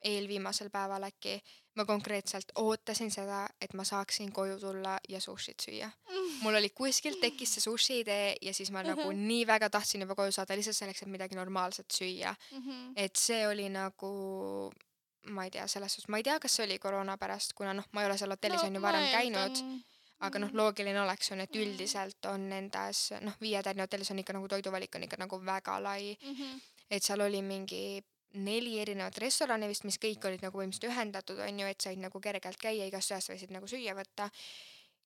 eelviimasel päeval äkki ma konkreetselt ootasin seda, et ma saaksin koju tulla ja sushit süüa. Mul oli kuskilt tekkis see sushi idee ja siis ma nagu nii väga tahtsin juba koju saada lihtsalt selleks, et midagi normaalset süüa. Mhm. Et see oli nagu, ma ei tea, selles suhtes, ma ei tea, kas see oli koroona pärast, kuna noh, ma ei ole seal hotellis on ju ma varem käinud, eeldan- aga noh, loogiline oleks on, et üldiselt on nendes, noh, viietärni hotellis on ikka nagu toiduvalik on ikka nagu väga lai, Mhm. et seal oli mingi neli erinevat restorani vist, mis kõik olid nagu põhimõtteliselt ühendatud, on ju, et said nagu kergelt käia, igast ühest võisid nagu süüa võtta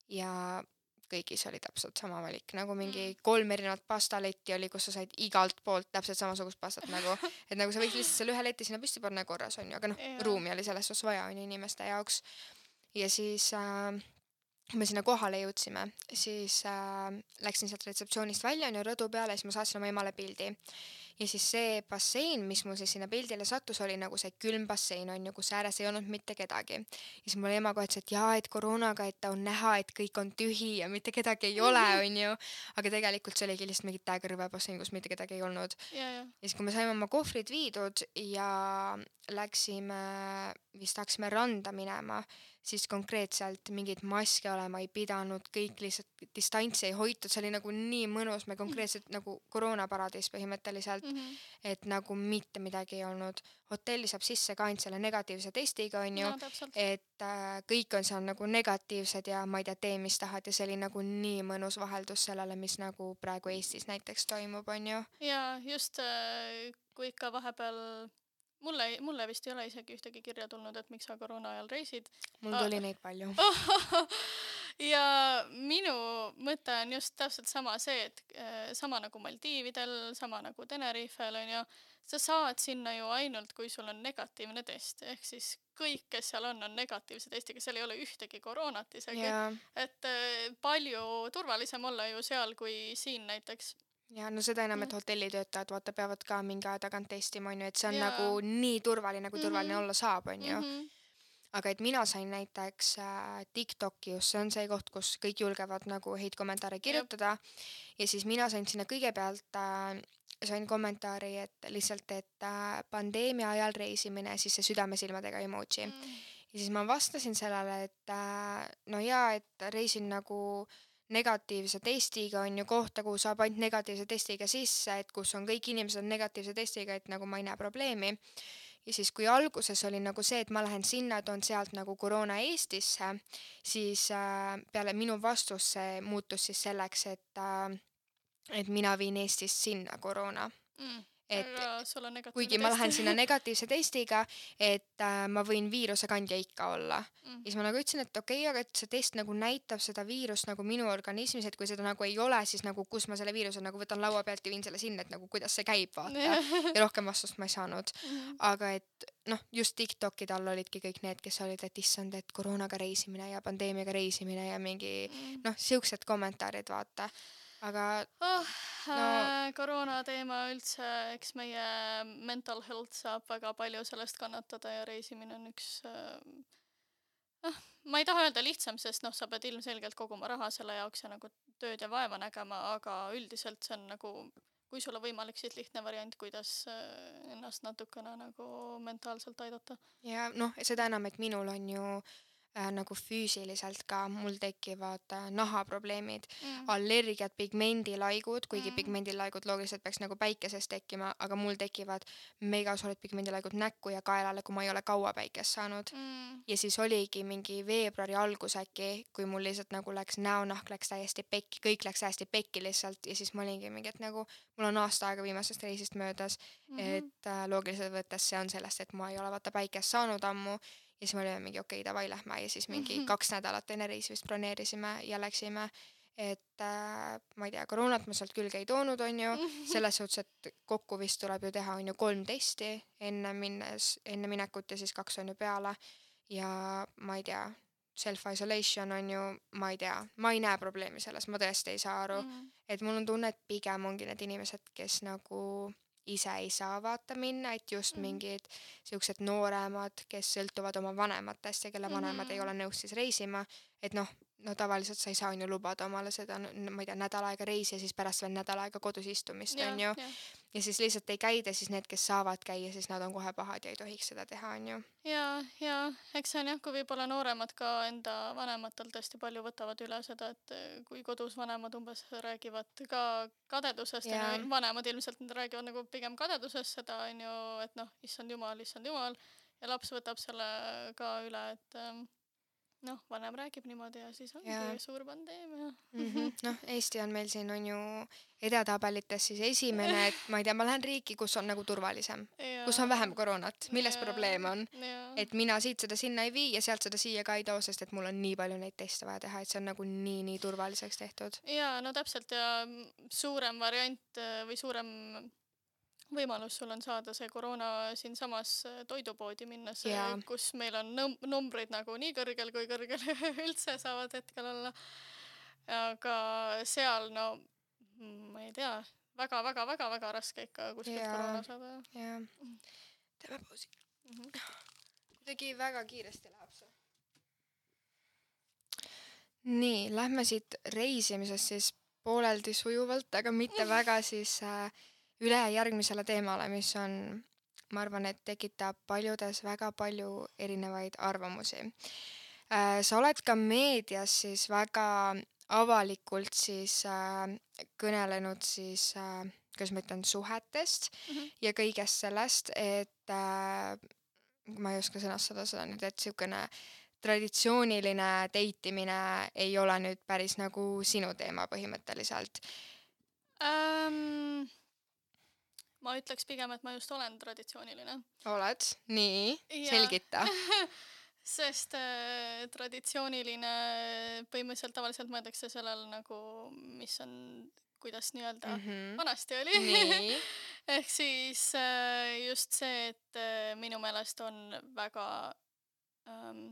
ja kõigis oli täpselt sama valik, nagu mingi kolm erinevat pastaletti oli, kus sa said igalt poolt täpselt samasugust pastat nagu, et nagu sa võid lihtsalt selle ühe leti sinna püsti panna ja korras on ju, aga noh, Jaa. ruumi oli selles suhtes vaja on ju inimeste jaoks. Ja siis äh, me sinna kohale jõudsime, siis äh, läksin sealt retseptsioonist välja on ju rõdu peale ja siis ma saatsin oma emale pildi. Ja siis see bassein, mis mul siis sinna pildile sattus, oli nagu see külm bassein on ju, kus ääres ei olnud mitte kedagi. Ja siis mul ema kohe ütles, et jaa, et koroonaga, et on näha, et kõik on tühi ja mitte kedagi ei ole, on ju. Aga tegelikult see oligi lihtsalt mingi täiega bassein, kus mitte kedagi ei olnud. ja, ja. Ja siis, kui me saime oma kohvrid viidud ja läksime, vist hakkasime randa minema, siis konkreetselt mingit maske olema ei pidanud, kõik lihtsalt distantsi ei hoitud, see oli nagu nii mõnus, me konkreetselt nagu koroonaparadiis põhimõtteliselt, Mhm. et nagu mitte midagi ei olnud. Hotelli saab sisse ka ainult selle negatiivse testiga, on ju, No, täpselt. et äh, kõik on seal nagu negatiivsed ja ma ei tea, tee mis tahad ja see oli nagu nii mõnus vaheldus sellele, mis nagu praegu Eestis näiteks toimub, on ju. ja just äh, kui ikka vahepeal mulle, mulle vist ei ole isegi ühtegi kirja tulnud, et miks sa koroona ajal reisid. Mul Ah. tuli neid palju. ja minu mõte on just täpselt sama see, et äh, sama nagu Maldiividel, sama nagu Tenerifel on ju, sa saad sinna ju ainult, kui sul on negatiivne test, ehk siis kõik, kes seal on, on negatiivse testiga, seal ei ole ühtegi koroonat isegi, ja, et äh, palju turvalisem olla ju seal kui siin näiteks. ja no seda enam, et Mm. hotellitöötajad vaata peavad ka mingi aja tagant testima, on ju, et see on Jaa. nagu nii turvaline, kui turvaline Mhm. olla saab, on ju. Mhm. Aga et mina sain näiteks äh, TikToki, just see on see koht, kus kõik julgevad nagu häid kommentaare kirjutada. Ja siis mina sain sinna kõigepealt, äh, sain kommentaari, et lihtsalt, et äh, pandeemia ajal reisimine, siis see südamesilmadega emoji. Mm. Ja siis ma vastasin sellele, et äh, no jaa, et reisin nagu negatiivse testiga on ju kohta, kuhu saab ainult negatiivse testiga sisse, et kus on kõik inimesed negatiivse testiga, et nagu ma ei näe probleemi. Ja siis kui alguses oli nagu see, et ma lähen sinna, toon sealt nagu koroona Eestisse, siis äh, peale minu vastus see muutus siis selleks, et äh, et mina viin Eestist sinna koroona. Mm. Et aga sul on negatiivne kuigi ma lähen sinna negatiivse testiga, et äh, ma võin viiruse kandja ikka olla. Mm. Ja siis ma nagu ütlesin, et okei, aga et see test nagu näitab seda viirust nagu minu organismis, et kui seda nagu ei ole, siis nagu kus ma selle viiruse nagu võtan laua pealt ja viin selle sinna, et nagu kuidas see käib, vaata. Ja rohkem vastust ma ei saanud. Mhm. Aga et noh, just TikTokid all olidki kõik need, kes olid, et issand, et koroonaga reisimine ja pandeemiaga reisimine ja mingi Mm. noh, siuksed kommentaarid, vaata. Aga Oh, No- äh, koroona teema üldse, eks meie mental health saab väga palju sellest kannatada ja reisimine on üks äh, noh, ma ei taha öelda lihtsam, sest noh, sa pead ilmselgelt koguma raha selle jaoks ja nagu tööd ja vaeva nägema, aga üldiselt see on nagu, kui sul on võimalik, siis lihtne variant, kuidas äh, ennast natukene nagu mentaalselt aidata. ja noh, seda enam, et minul on ju äh, nagu füüsiliselt ka, mul tekivad äh, nahaprobleemid, Mm. allergiad, pigmendilaigud, kuigi Mm. pigmendilaigud loogiliselt peaks nagu päikeses tekkima, aga mul tekivad megasuured pigmendilaigud näkku ja kaelale, kui ma ei ole kaua päikest saanud. Mm. Ja siis oligi mingi veebruari algus äkki, kui mul lihtsalt nagu läks näonahk läks täiesti pekki, kõik läks hästi pekki lihtsalt ja siis ma olingi mingi, et nagu mul on aasta aega viimasest reisist möödas, Mhm. et äh, loogiliselt võttes see on sellest, et ma ei ole vaata päikest saanud ammu ja siis me olime mingi okei, davai, lähme ja siis mingi Mhm. kaks nädalat enne reisi vist broneerisime ja läksime, et äh, ma ei tea, koroonat ma sealt külge ei toonud, on ju, selles suhtes, et kokku vist tuleb ju teha on ju kolm testi enne minnes, enne minekut ja siis kaks on ju peale ja ma ei tea, self-isolation on ju, ma ei tea, ma ei näe probleemi selles, ma tõesti ei saa aru, Mm. et mul on tunne, et pigem ongi need inimesed, kes nagu ise ei saa vaata minna, et just Mhm. mingid siuksed nooremad, kes sõltuvad oma vanematest ja kelle vanemad ei Mhm. ole nõus siis reisima, et noh, no tavaliselt sa ei saa on ju lubada omale seda, n- ma ei tea, nädal aega reisi ja siis pärast veel nädal aega kodus istumist, Jah, on ju. jah. Ja siis lihtsalt ei käida, siis need, kes saavad käia, siis nad on kohe pahad ja ei tohiks seda teha, on ju. ja, ja eks see on jah, kui võib-olla nooremad ka enda vanematelt hästi palju võtavad üle seda, et eh, kui kodus vanemad umbes räägivad ka kadedusest ja Jaa. no, vanemad ilmselt nad räägivad nagu pigem kadedusest seda on ju, et noh, issand jumal, issand jumal ja laps võtab selle ka üle, et ähm, noh, vanem räägib niimoodi ja siis ongi Jaa. suur pandeemia. Mhm. Noh, Eesti on meil siin on ju edetabelites siis esimene, et ma ei tea, ma lähen riiki, kus on nagu turvalisem, kus on vähem koroonat, milles Jaa. probleem on. Jaa. Et mina siit seda sinna ei vii ja sealt seda siia ka ei too, sest et mul on nii palju neid teste vaja teha, et see on nagu nii, nii turvaliseks tehtud. jaa, no täpselt ja mm, suurem variant äh, või suurem võimalus sul on saada see koroona siinsamas äh, toidupoodi minnes, äh, Jaa. kus meil on num- numbrid nagu nii kõrgel, kui kõrgel üldse saavad hetkel olla. aga seal, no mm, ma ei tea, väga-väga-väga-väga raske ikka kuskilt Jaa. koroona saada. Jaa. Teeme pausi. Mhm. Kuidagi väga kiiresti läheb see. Nii, lähme siit reisimisest siis pooleldi sujuvalt, aga mitte väga siis äh, üle järgmisele teemale, mis on, ma arvan, et tekitab paljudes väga palju erinevaid arvamusi. Äh, sa oled ka meedias siis väga avalikult siis äh, kõnelenud siis, äh, kuidas ma ütlen, suhetest Mhm. ja kõigest sellest, et äh, ma ei oska sõnastada seda nüüd, et siukene traditsiooniline deitimine ei ole nüüd päris nagu sinu teema põhimõtteliselt. Ähm, ma ütleks pigem, et ma just olen traditsiooniline. Oled? Nii, Jaa. selgita. Sest äh, traditsiooniline põhimõtteliselt tavaliselt mõeldakse sellel nagu, mis on, kuidas nii-öelda Mhm. vanasti oli. Nii. ehk siis äh, just see, et äh, minu meelest on väga ähm,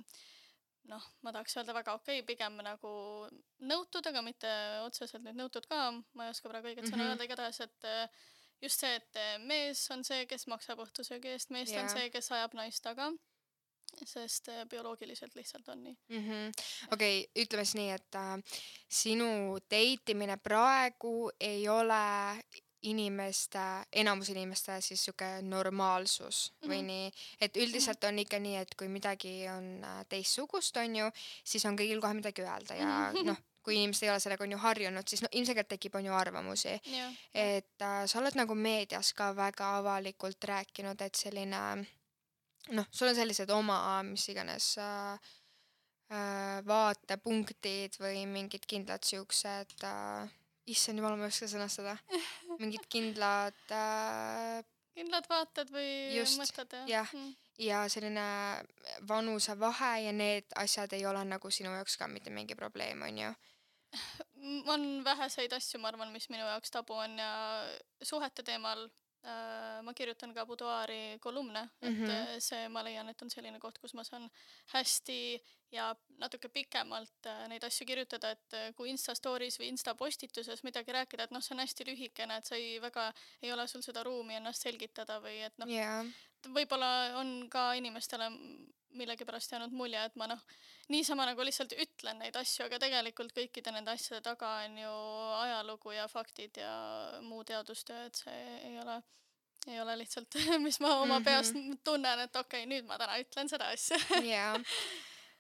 noh, ma tahaks öelda väga okei, pigem nagu nõutud, aga mitte otseselt nüüd nõutud ka, ma ei oska praegu õiget sõna Mhm. öelda, igatahes, et äh, just see, et äh, mees on see, kes maksab õhtusöögi eest, meest on Jaa. see, kes ajab naist taga, sest äh, bioloogiliselt lihtsalt on nii. Mhm. Okei, ütleme siis nii, et äh, sinu deitimine praegu ei ole inimeste, enamus inimeste siis sihuke normaalsus või Mhm. nii, et üldiselt on ikka nii, et kui midagi on äh, teistsugust, on ju, siis on kõigil kohe midagi öelda ja Mhm. noh, kui inimesed ei ole sellega on ju harjunud, siis no ilmselgelt tekib on ju arvamusi. jah, Et äh, sa oled nagu meedias ka väga avalikult rääkinud, et selline, noh, sul on sellised oma, mis iganes äh, äh, vaatepunktid või mingid kindlad siuksed äh, issand jumal, ma ei oska sõnastada. Mingid kindlad äh, kindlad vaated või Just, mõtted ja jah. mm. ja selline vanusevahe ja need asjad ei ole nagu sinu jaoks ka mitte mingi probleem, on ju. M- on väheseid asju, ma arvan, mis minu jaoks tabu on ja suhete teemal äh, ma kirjutan ka buduaari kolumne, et Mhm. äh, see, ma leian, et on selline koht, kus ma saan hästi ja natuke pikemalt äh, neid asju kirjutada, et äh, kui Insta stories või Insta postituses midagi rääkida, et noh, see on hästi lühikene, et sa ei väga, ei ole sul seda ruumi ennast selgitada või et noh, Jaa, võib-olla on ka inimestele millegipärast jäänud mulje, et ma noh, niisama nagu lihtsalt ütlen neid asju, aga tegelikult kõikide nende asjade taga on ju ajalugu ja faktid ja muu teadustöö, et see ei ole, ei ole lihtsalt, mis ma oma Mhm. peast tunnen, et okei, nüüd ma täna ütlen seda asja. jaa.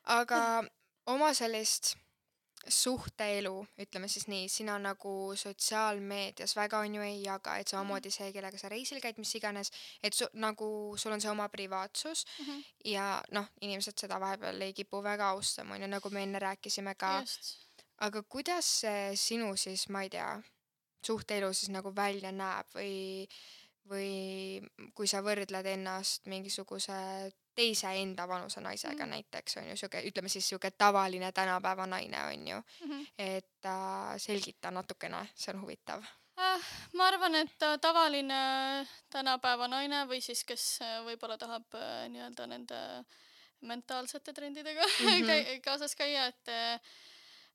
Aga oma sellist suhteelu, ütleme siis nii, sina nagu sotsiaalmeedias väga on ju ei jaga, et samamoodi see, kellega sa reisil käid, mis iganes, et su, nagu sul on see oma privaatsus Mhm, ja noh, inimesed seda vahepeal ei kipu väga austama, on ju, nagu me enne rääkisime ka. just. Aga kuidas see sinu siis, ma ei tea, suhteelu siis nagu välja näeb või, või kui sa võrdled ennast mingisuguse teise enda vanuse naisega Mhm, näiteks, on ju, siuke, ütleme siis siuke tavaline tänapäeva naine, on ju, mhm. et äh, selgita natukene, see on huvitav. Äh, ma arvan, et äh, tavaline tänapäeva naine või siis, kes äh, võib-olla tahab äh, nii-öelda nende mentaalsete trendidega Mhm. käi- kaasas käia, et äh,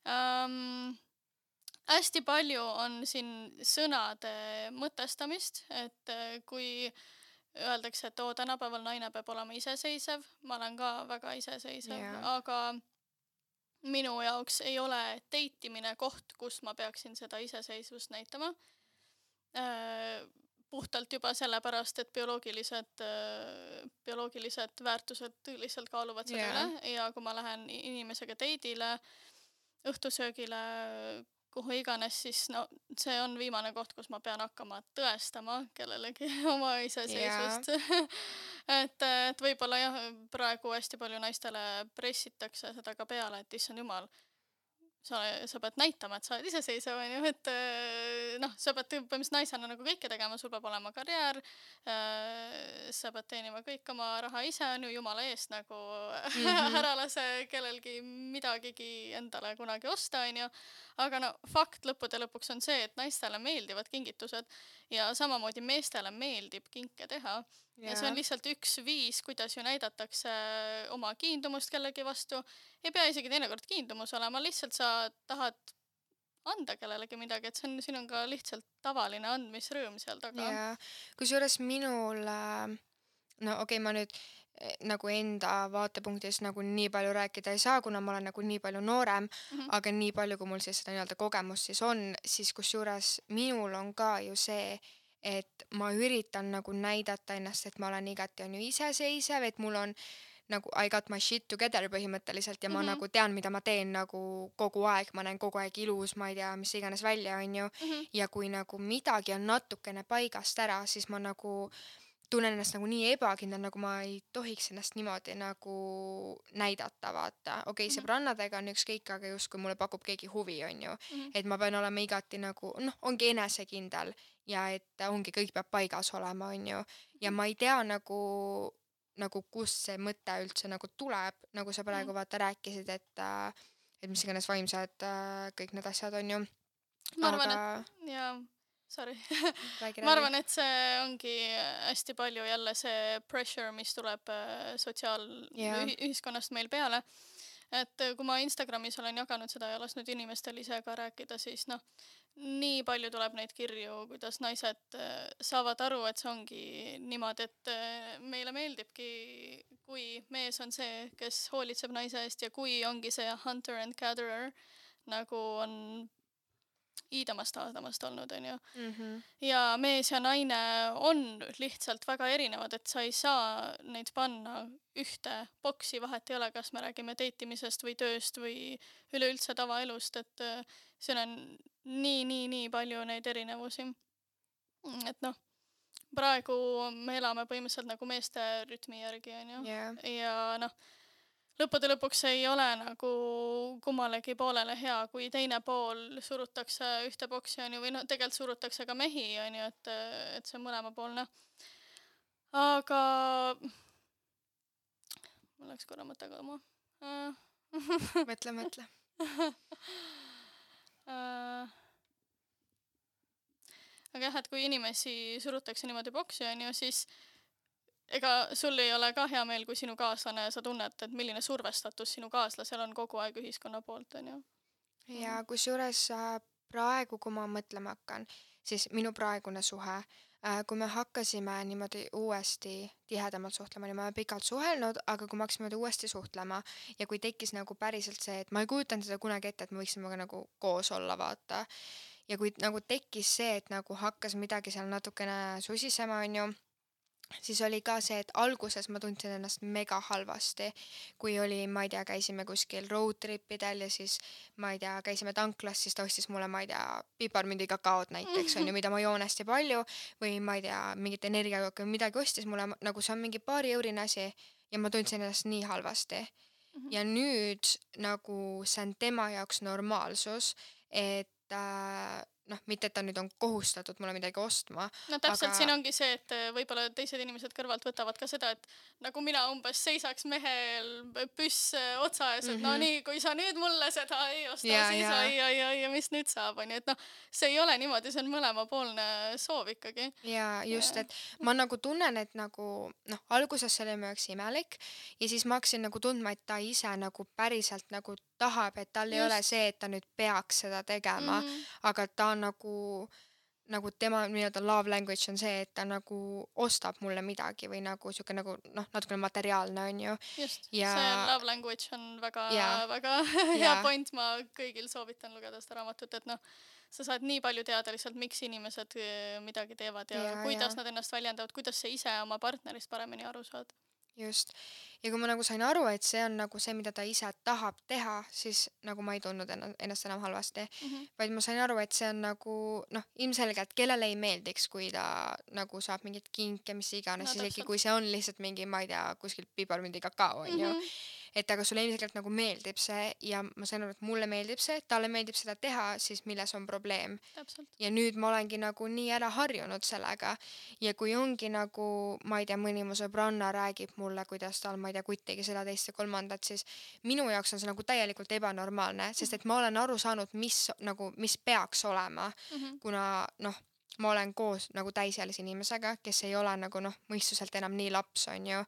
ähm, hästi palju on siin sõnade mõtestamist, et äh, kui öeldakse, et oo, tänapäeval naine peab olema iseseisev, ma olen ka väga iseseisev, Jaa. aga minu jaoks ei ole deitimine koht, kus ma peaksin seda iseseisvust näitama. Äh, puhtalt juba sellepärast, et bioloogilised, äh, bioloogilised väärtused lihtsalt kaaluvad selle Jaa. üle ja kui ma lähen i- inimesega teidile, õhtusöögile, kuhu iganes, siis no see on viimane koht, kus ma pean hakkama tõestama kellelegi oma iseseisvust. et, et võib-olla jah, praegu hästi palju naistele pressitakse seda ka peale, et issand jumal, sa, sa pead näitama, et sa oled iseseisev, on ju, et äh, noh, sa pead põhimõtteliselt naisena nagu kõike tegema, sul peab olema karjäär, äh, sa pead teenima kõik oma raha ise, on ju, jumala eest nagu Mhm. ära lase kellelgi midagigi endale kunagi osta, on ju. Aga no fakt lõppude lõpuks on see, et naistele meeldivad kingitused ja samamoodi meestele meeldib kinke teha. Ja see on Jaa. lihtsalt üks viis, kuidas ju näidatakse oma kiindumust kellegi vastu. Ei pea isegi teinekord kiindumus olema, lihtsalt sa tahad anda kellelegi midagi, et see on, siin on ka lihtsalt tavaline andmisrõõm seal taga. jaa. Kusjuures minul äh, no okei, ma nüüd eh, nagu enda vaatepunktist nagu nii palju rääkida ei saa, kuna ma olen nagu nii palju noorem, Mhm, aga nii palju, kui mul siis seda nii-öelda kogemust siis on, siis kusjuures minul on ka ju see, et ma üritan nagu näidata ennast, et ma olen igati on ju iseseisev, et mul on nagu I got my shit together põhimõtteliselt ja ma mhm, nagu tean, mida ma teen nagu kogu aeg, ma näen kogu aeg ilus, ma ei tea, mis iganes välja, on ju. mhm, Ja kui nagu midagi on natukene paigast ära, siis ma nagu tunnen ennast nagu nii ebakindel, nagu ma ei tohiks ennast niimoodi nagu näidata, vaata. okei, mhm, sõbrannadega on ükskõik, aga justkui mulle pakub keegi huvi, on ju. mhm, Et ma pean olema igati nagu, noh, ongi enesekindel ja et ongi, kõik peab paigas olema, on ju. Ja ma ei tea nagu, nagu kust see mõte üldse nagu tuleb, nagu sa praegu mhm. vaata rääkisid, et äh, et mis iganes vaimsed äh, kõik need asjad on ju. Ma arvan, Aga et jaa, sorry. räägi, ma räägi. arvan, et see ongi hästi palju jälle see pressure, mis tuleb äh, Jaa. sotsiaalühiskonnast meil peale. Et äh, kui ma Instagramis olen jaganud seda ja lasknud inimestel ise ka rääkida, siis noh, nii palju tuleb neid kirju, kuidas naised äh, saavad aru, et see ongi niimoodi, et äh, meile meeldibki, kui mees on see, kes hoolitseb naise eest ja kui ongi see hunter and gatherer, nagu on iidamast aadamast olnud, on ju. Mhm. Ja mees ja naine on lihtsalt väga erinevad, et sa ei saa neid panna ühte boksi, vahet ei ole, kas me räägime deitimisest või tööst või üleüldse tavaelust, et äh, seal on nii, nii, nii palju neid erinevusi. Mm, Et noh, praegu me elame põhimõtteliselt nagu meeste rütmi järgi, on ju. Jaa. Ja noh, lõppude lõpuks ei ole nagu kummalegi poolele hea, kui teine pool surutakse ühte boksi, on ju, või noh, tegelikult surutakse ka mehi, on ju, et, et see on mõlemapoolne. Aga mul läks korra mõte kaduma. Äh, Mõtle, mõtle. äh, aga jah, et kui inimesi surutakse niimoodi boksi, on ju, siis ega sul ei ole ka hea meel, kui sinu kaaslane, sa tunned, et milline survestatus sinu kaaslasel on kogu aeg ühiskonna poolt, on ju. Ja kusjuures äh, praegu, kui ma mõtlema hakkan, siis minu praegune suhe, äh, kui me hakkasime niimoodi uuesti tihedamalt suhtlema, nii me oleme pikalt suhelnud, aga kui me hakkasime niimoodi uuesti suhtlema ja kui tekkis nagu päriselt see, et ma ei kujutanud seda kunagi ette, et me võiksime ka nagu koos olla, vaata. Ja kui nagu tekkis see, et nagu hakkas midagi seal natukene susisema, on ju, siis oli ka see, et alguses ma tundsin ennast mega halvasti, kui oli, ma ei tea, käisime kuskil road tripidel ja siis, ma ei tea, käisime tanklas, siis ta ostis mulle, ma ei tea, piparmündi kakaod näiteks, on ju, mida ma joon hästi palju, või ma ei tea, mingit energiajooki või midagi ostis mulle, nagu see on mingi paari eurine asi ja ma tundsin ennast nii halvasti. Ja nüüd nagu see on tema jaoks normaalsus, et äh, noh, mitte, et ta nüüd on kohustatud mulle midagi ostma, No täpselt aga siin ongi see, et äh, võib-olla teised inimesed kõrvalt võtavad ka seda, et nagu mina umbes seisaks mehel püss äh, otsa ees, et no Mhm. nii, kui sa nüüd mulle seda ei osta, Jaa, siis jaa. oi, oi, oi, ja mis nüüd saab, on ju, et noh, see ei ole niimoodi, see on mõlemapoolne soov ikkagi. ja just, Jaa. et ma nagu tunnen, et nagu noh, alguses see oli mu jaoks imelik ja siis ma hakkasin nagu tundma, et ta ise nagu päriselt nagu tahab, et tal ei ole Just. see, et ta nüüd peaks seda tegema, Mhm. aga ta on nagu nagu tema nii-öelda love language on see, et ta nagu ostab mulle midagi või nagu siuke nagu noh, natukene materiaalne, on ju. Just, Ja see love language on väga, Jaa. väga hea Jaa. point, ma kõigil soovitan lugeda seda raamatut, et noh, sa saad nii palju teada lihtsalt, miks inimesed äh, midagi teevad ja, Jaa, kuidas jaa. nad ennast väljendavad, kuidas sa ise oma partnerist paremini aru saad. just. Ja kui ma nagu sain aru, et see on nagu see, mida ta ise tahab teha, siis nagu ma ei tundnud enna- ennast enam halvasti, Mhm. vaid ma sain aru, et see on nagu noh, ilmselgelt kellele ei meeldiks, kui ta nagu saab mingit kinke, mis iganes, No isegi täpselt. kui see on lihtsalt mingi, ma ei tea, kuskilt piparmündi kakao, on ju. Mhm. Et aga sulle ilmselgelt nagu meeldib see ja ma sain aru, et mulle meeldib see, talle meeldib seda teha, siis milles on probleem. Täpselt. Ja nüüd ma olengi nagu nii ära harjunud sellega ja kui ongi nagu, ma ei tea, mõni mu sõbranna räägib mulle, kuidas tal, ma ei tea, kutt tegi seda teist ja kolmandat, siis minu jaoks on see nagu täielikult ebanormaalne, sest et ma olen aru saanud, mis nagu, mis peaks olema, Mhm. kuna noh, ma olen koos nagu täisealise inimesega, kes ei ole nagu noh, mõistuselt enam nii laps, on ju,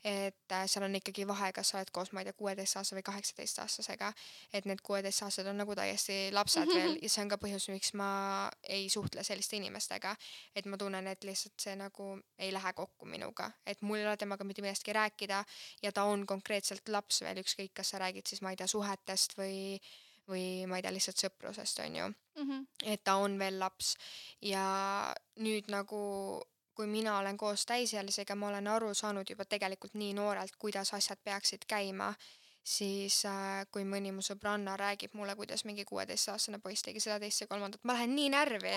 et äh, seal on ikkagi vahe, kas sa oled koos, ma ei tea, kuueteistaastase või kaheksateistaastasega, et need kuueteistaastased on nagu täiesti lapsed veel ja see on ka põhjus, miks ma ei suhtle selliste inimestega, et ma tunnen, et lihtsalt see nagu ei lähe kokku minuga, et mul ei ole temaga mitte millestki rääkida ja ta on konkreetselt laps veel, ükskõik, kas sa räägid siis, ma ei tea, suhetest või või ma ei tea, lihtsalt sõprusest, on ju, Mhm. et ta on veel laps ja nüüd nagu kui mina olen koos täisealisega, ma olen aru saanud juba tegelikult nii noorelt, kuidas asjad peaksid käima, siis äh, kui mõni mu sõbranna räägib mulle, kuidas mingi kuueteistaastane poiss tegi seda teist ja kolmandat, ma lähen nii närvi,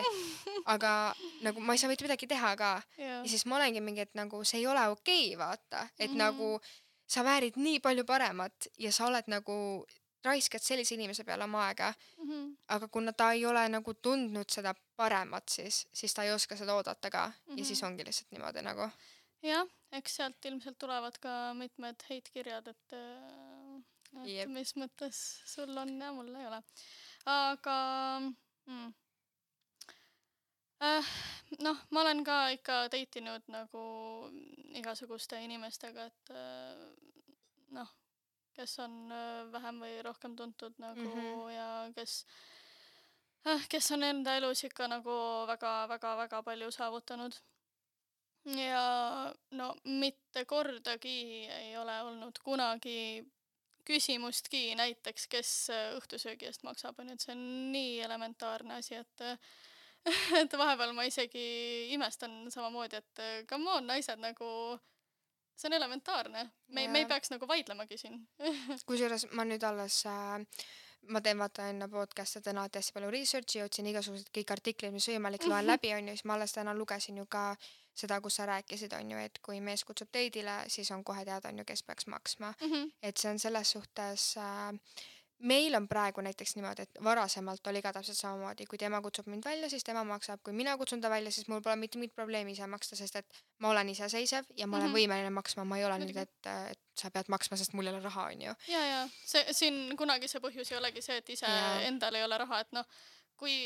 aga nagu ma ei saa mitte midagi teha ka. Jaa. Ja siis ma olengi mingi, et nagu see ei ole okei, vaata, et Mhm. nagu sa väärid nii palju paremat ja sa oled nagu raiskad sellise inimese peale oma aega, Mhm. aga kuna ta ei ole nagu tundnud seda paremat, siis, siis ta ei oska seda oodata ka ja siis Mhm. ongi lihtsalt niimoodi nagu. Jah, eks sealt ilmselt tulevad ka mitmed heitkirjad, et, äh, et Jep. mis mõttes sul on ja mul ei ole. Aga mm, äh, noh, ma olen ka ikka deitinud nagu igasuguste inimestega, et äh, noh, kes on äh, vähem või rohkem tuntud nagu Mhm. ja kes äh, kes on enda elus ikka nagu väga-väga-väga palju saavutanud. Ja no mitte kordagi ei ole olnud kunagi küsimustki näiteks, kes äh, õhtusöögi eest maksab, on ju, et see on nii elementaarne asi, et äh, et vahepeal ma isegi imestan samamoodi, et äh, come on, naised nagu, see on elementaarne. Me, me ei Ja peaks nagu vaidlemagi siin. kusjuures ma nüüd alles äh, ma teen vaata enne podcast'e täna hästi palju research'i, otsin igasugused kõik artiklid, mis võimalik, loen läbi, on ju, siis ma alles täna lugesin ju ka seda, kus sa rääkisid, on ju, et kui mees kutsub teidile, siis on kohe teada, on ju, kes peaks maksma. Mhm, Et see on selles suhtes äh, meil on praegu näiteks niimoodi, et varasemalt oli ka täpselt samamoodi, kui tema kutsub mind välja, siis tema maksab, kui mina kutsun ta välja, siis mul pole mitte mingit probleemi ise maksta, sest et ma olen iseseisev ja ma olen mhm. võimeline maksma, ma ei ole nüüd, Muidugi. et, et sa pead maksma, sest mul ei ole raha, on ju. Ja, ja see, siin kunagi see põhjus ei olegi see, et ise Ja endal ei ole raha, et noh, kui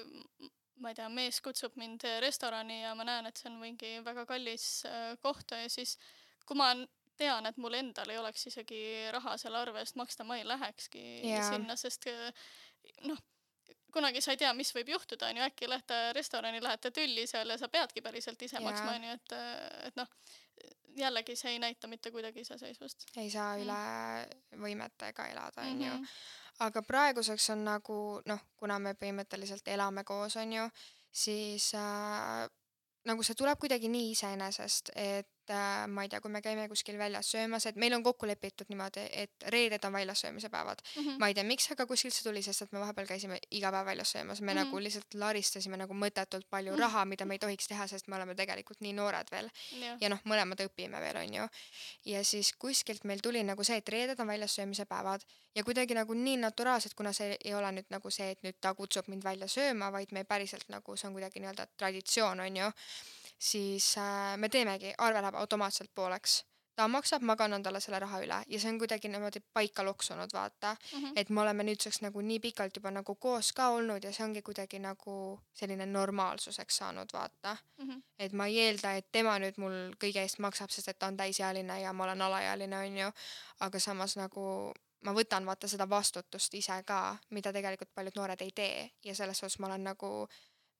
m- ma ei tea, mees kutsub mind restorani ja ma näen, et see on mingi väga kallis äh, koht ja siis kui ma n- tean, et mul endal ei oleks isegi raha selle arve eest maksta, ma ei lähekski ja sinna, sest äh, noh, kunagi sa ei tea, mis võib juhtuda, on ju, äkki lähete restorani, lähete tülli seal ja sa peadki päriselt ise ja maksma, on ju, et, et noh, jällegi see ei näita mitte kuidagi iseseisvust. ei saa Mm. üle võimetega elada, on ju. Mhm. Aga praeguseks on nagu, noh, kuna me põhimõtteliselt elame koos, on ju, siis äh, nagu see tuleb kuidagi nii iseenesest, et äh, ma ei tea, kui me käime kuskil väljas söömas, et meil on kokku lepitud niimoodi, et reeded on väljas söömise päevad. Mhm. Ma ei tea, miks, aga kuskilt see tuli, sest et me vahepeal käisime iga päev väljas söömas. Me Mhm. nagu lihtsalt laristasime nagu mõttetult palju Mhm. raha, mida me ei tohiks teha, sest me oleme tegelikult nii noored veel. Jah. Ja noh, mõlemad õpime veel, on ju. Ja siis kuskilt meil tuli nagu see, et reeded on väljas söömise päevad ja kuidagi nagu nii naturaalselt, kuna see ei ole nüüd nagu see, et nüüd ta kutsub mind välja sööma, vaid me päriselt nagu see on kuidagi nii-öelda traditsioon, on ju, siis äh, me teemegi, arve läheb automaatselt pooleks. Ta maksab, ma kannan talle selle raha üle ja see on kuidagi niimoodi paika loksunud, vaata. Mhm. Et me oleme nüüdseks nagu nii pikalt juba nagu koos ka olnud ja see ongi kuidagi nagu selline normaalsuseks saanud, vaata. Mhm. Et ma ei eelda, et tema nüüd mul kõige eest maksab, sest et ta on täisealine ja ma olen alaealine, on ju. Aga samas nagu ma võtan vaata seda vastutust ise ka, mida tegelikult paljud noored ei tee ja selles suhtes ma olen nagu,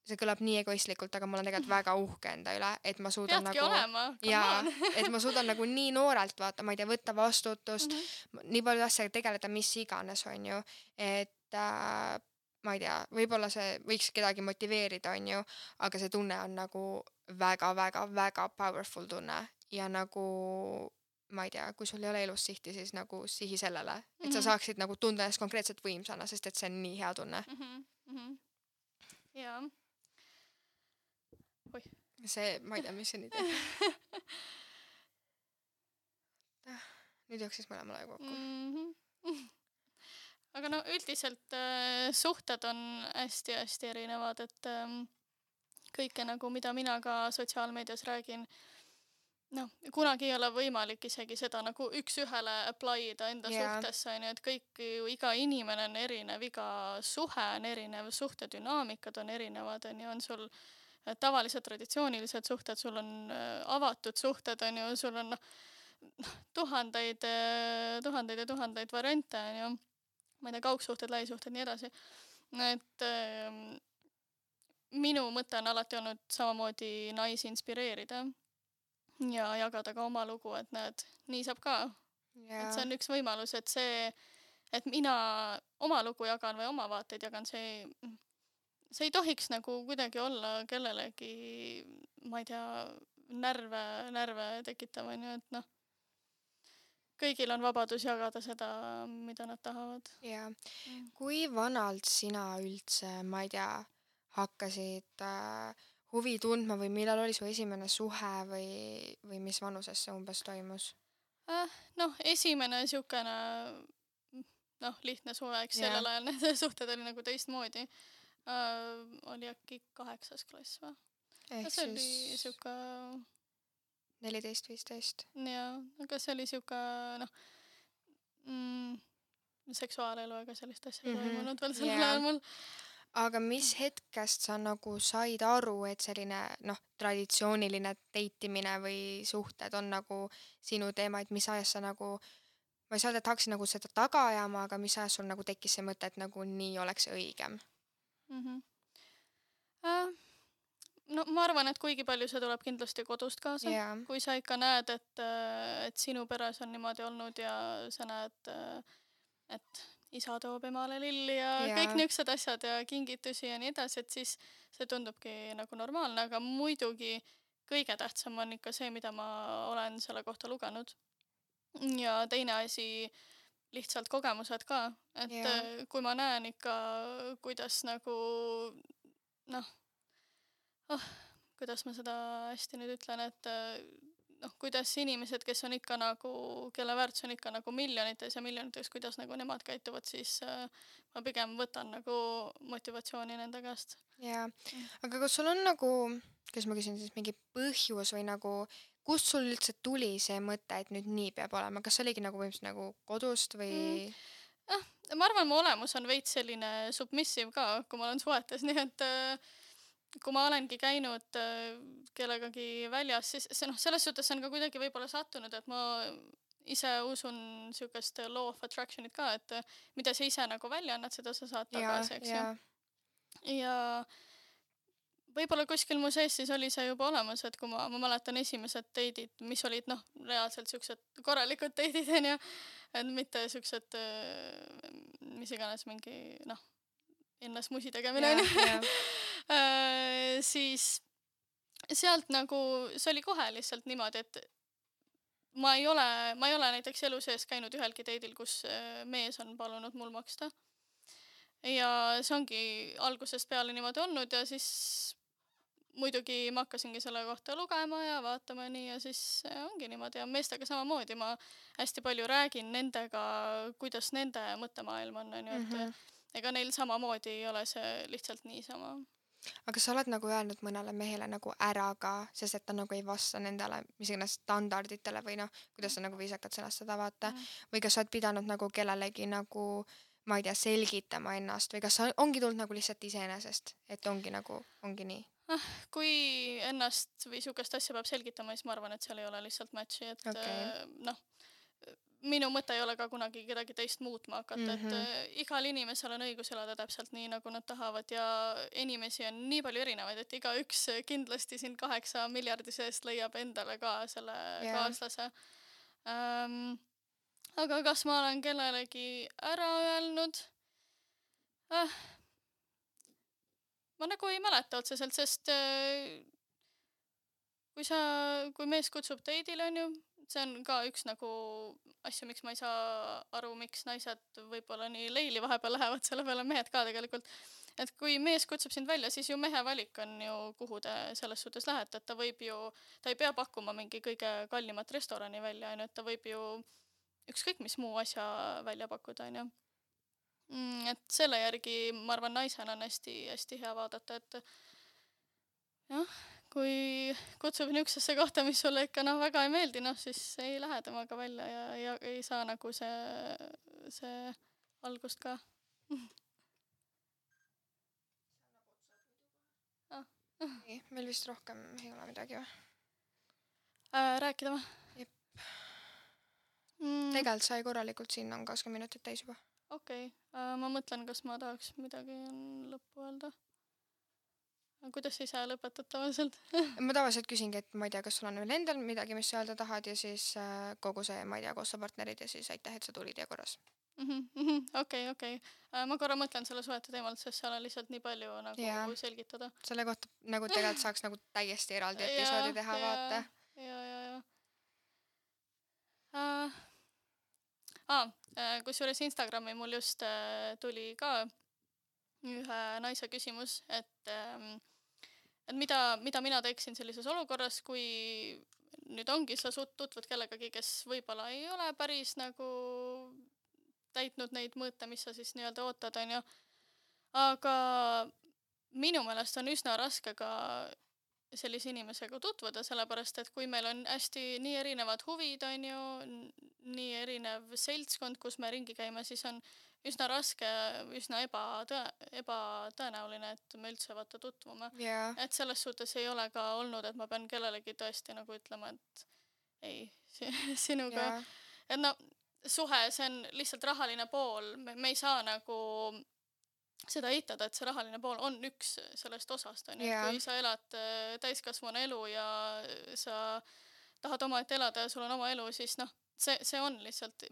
see kõlab nii egoistlikult, aga ma olen tegelikult väga uhke enda üle, et ma suudan Peadki nagu olema, come jaa, on. et ma suudan nagu nii noorelt vaata, ma ei tea, võtta vastutust, Mhm. nii palju asjaga tegeleda, mis iganes, on ju, et äh, ma ei tea, võib-olla see võiks kedagi motiveerida, on ju, aga see tunne on nagu väga-väga-väga powerful tunne ja nagu ma ei tea, kui sul ei ole elus sihti, siis nagu sihi sellele, et sa Mhm. saaksid nagu tunda ennast konkreetselt võimsana, sest et see on nii hea tunne. Mhm. Mhm. Jaa. Oih. See, ma ei tea, mis see nüüd teeb. Nüüd jooksis mõlemale aju kokku. Mhm. Aga no üldiselt äh, suhted on hästi-hästi erinevad, et ähm, kõike nagu, mida mina ka sotsiaalmeedias räägin, noh, kunagi ei ole võimalik isegi seda nagu üks-ühele apply ida enda Jaa. suhtesse, on ju, et kõik ju, iga inimene on erinev, iga suhe on erinev, suhtedünaamikad on erinevad, on ju, on sul äh, tavalised traditsioonilised suhted, sul on äh, avatud suhted, on ju, sul on noh, tuhandeid, äh, tuhandeid ja tuhandeid variante, on ju, ma ei tea, kaugsuhted, lähisuhted, nii edasi. Et äh, minu mõte on alati olnud samamoodi naisi inspireerida ja jagada ka oma lugu, et näed, nii saab ka. Et see on üks võimalus, et see, et mina oma lugu jagan või oma vaateid jagan, see, see ei tohiks nagu kuidagi olla kellelegi, ma ei tea, närve, närve tekitav, on ju, et noh, kõigil on vabadus jagada seda, mida nad tahavad. ja Mm. kui vanalt sina üldse, ma ei tea, hakkasid äh, huvi tundma või millal oli su esimene suhe või, või mis vanuses see umbes toimus? Äh, noh, esimene siukene, noh, lihtne suve, eks Jaa. sellel ajal need suhted oli nagu teistmoodi. Äh, oli äkki kaheksas klass või? Ehk see oli siis siuke, neliteist, viisteist. jaa, aga see oli siuke, noh, mm, seksuaalelu ega sellist asja ei Mhm. toimunud veel sellel Jaa. ajal mul. Aga mis hetkest sa nagu said aru, et selline noh, traditsiooniline deitimine või suhted on nagu sinu teema, et mis ajast sa nagu, ma ei saa öelda, et hakkasid nagu seda taga ajama, aga mis ajast sul nagu tekkis see mõte, et nagu nii oleks õigem? Mhm. Äh, no ma arvan, et kuigi palju see tuleb kindlasti kodust kaasa. Jaa. Kui sa ikka näed, et, äh, et sinu peres on niimoodi olnud ja sa näed, äh, et isa toob emale lilli ja Jaa. kõik niisugused asjad ja kingitusi ja nii edasi, et siis see tundubki nagu normaalne, aga muidugi kõige tähtsam on ikka see, mida ma olen selle kohta lugenud. Ja teine asi, lihtsalt kogemused ka, et Jaa. äh, kui ma näen ikka, kuidas nagu noh, oh, kuidas ma seda hästi nüüd ütlen, et äh, noh, kuidas inimesed, kes on ikka nagu, kelle väärtus on ikka nagu miljonites ja miljonites, kuidas nagu nemad käituvad, siis äh, ma pigem võtan nagu motivatsiooni nende käest. Jaa. Aga kas sul on nagu, kas ma küsin siis mingi põhjus või nagu, kust sul üldse tuli see mõte, et nüüd nii peab olema? Kas see oligi nagu võimsalt nagu kodust või? Mm. Ah, ma arvan, mu olemus on veits selline submissive ka, kui ma olen suhetes, nii et äh, kui ma olengi käinud äh, kellegagi väljas, siis see noh, selles suhtes on ka kuidagi võib-olla sattunud, et ma ise usun sihukest law of attraction'it ka, et äh, mida sa ise nagu välja annad, seda sa saad Jaa, tagasi, eks ju. jaa. Ja võib-olla kuskil mu sees siis oli see juba olemas, et kui ma, ma mäletan esimesed teidid, mis olid noh, reaalselt siuksed korralikud teidid, onju, et mitte siuksed, äh, mis iganes mingi noh, ennast musi tegemine, Jaa, onju. jaa. Äh, siis sealt nagu, see oli kohe lihtsalt niimoodi, et ma ei ole, ma ei ole näiteks elu sees käinud ühelgi teidil, kus äh, mees on palunud mul maksta. Ja see ongi algusest peale niimoodi olnud ja siis muidugi ma hakkasingi selle kohta lugema ja vaatama nii ja siis äh, ongi niimoodi ja meestega samamoodi ma hästi palju räägin nendega, kuidas nende mõttemaailm on, onju, et Mhm. ega neil samamoodi ei ole see lihtsalt niisama. Aga sa oled nagu öelnud mõnele mehele nagu ära ka, sest et ta nagu ei vasta nendele mis iganes standarditele või noh, kuidas sa nagu viisakalt sõnastada, vaata. Mhm. Või kas sa oled pidanud nagu kellelegi nagu, ma ei tea, selgitama ennast või kas sa ongi tulnud nagu lihtsalt iseenesest, et ongi nagu, ongi nii? Kui ennast või sihukest asja peab selgitama, siis ma arvan, et seal ei ole lihtsalt match'i, et Okei. äh, noh, minu mõte ei ole ka kunagi kedagi teist muutma hakata, et Mhm. äh, igal inimesel on õigus elada täpselt nii, nagu nad tahavad ja inimesi on nii palju erinevaid, et igaüks kindlasti siin kaheksa miljardi seest leiab endale ka selle Jaa. kaaslase. Ähm, aga kas ma olen kellelegi ära öelnud? Äh, ma nagu ei mäleta otseselt, sest äh, kui sa, kui mees kutsub teidile, onju, see on ka üks nagu asju, miks ma ei saa aru, miks naised võib-olla nii leili vahepeal lähevad, selle peale mehed ka tegelikult. Et kui mees kutsub sind välja, siis ju mehe valik on ju, kuhu te selles suhtes lähete, et ta võib ju, ta ei pea pakkuma mingi kõige kallimat restorani välja, onju, et ta võib ju ükskõik mis muu asja välja pakkuda, onju. Mm, et selle järgi ma arvan, naisena on hästi, hästi hea vaadata, et jah, kui kutsub niisugusesse kohta, mis sulle ikka noh, väga ei meeldi, noh siis ei lähe temaga välja ja, ja ei saa nagu see, see algust ka. Nii, meil vist rohkem ei ole midagi või? Äh, rääkida või? Jep. Mm, Tegelikult sai korralikult, siin on kakskümmend minutit täis juba. okei, äh, ma mõtlen, kas ma tahaks midagi lõppu öelda. Kuidas sa ise lõpetad tavaliselt? Ma tavaliselt küsingi, et ma ei tea, kas sul on veel endal midagi, mis sa öelda tahad ja siis äh, kogu see, ma ei tea, koostööpartnerid ja siis aitäh, et sa tulid ja korras. Mhm, mhm, okei, okei. Äh, Ma korra mõtlen selle suhete teemalt, sest seal on lihtsalt nii palju nagu Jaa. selgitada. Selle kohta nagu tegelikult saaks nagu täiesti eraldi episoodi teha, vaata. Ja, ja, ja. Äh, ah, äh, kusjuures Instagrami mul just äh, tuli ka ühe naise küsimus, et, ähm, et mida, mida mina teeksin sellises olukorras, kui nüüd ongi sa sut- tutvud kellegagi, kes võib-olla ei ole päris nagu täitnud neid mõõte, mis sa siis nii-öelda ootad, on ju. Aga minu meelest on üsna raske ka sellise inimesega tutvuda, sellepärast et kui meil on hästi nii erinevad huvid, on ju, nii erinev seltskond, kus me ringi käime, siis on üsna raske, üsna ebatõ, ebatõenäoline, et me üldse vaata tutvume. Jaa. Et selles suhtes ei ole ka olnud, et ma pean kellelegi tõesti nagu ütlema, et ei, sinuga. Jaa. Et no suhe, see on lihtsalt rahaline pool, me, me ei saa nagu seda eitada, et see rahaline pool on üks sellest osast, on ju, Jaa. et kui sa elad äh, täiskasvanu elu ja sa tahad omaette elada ja sul on oma elu, siis noh, see, see on lihtsalt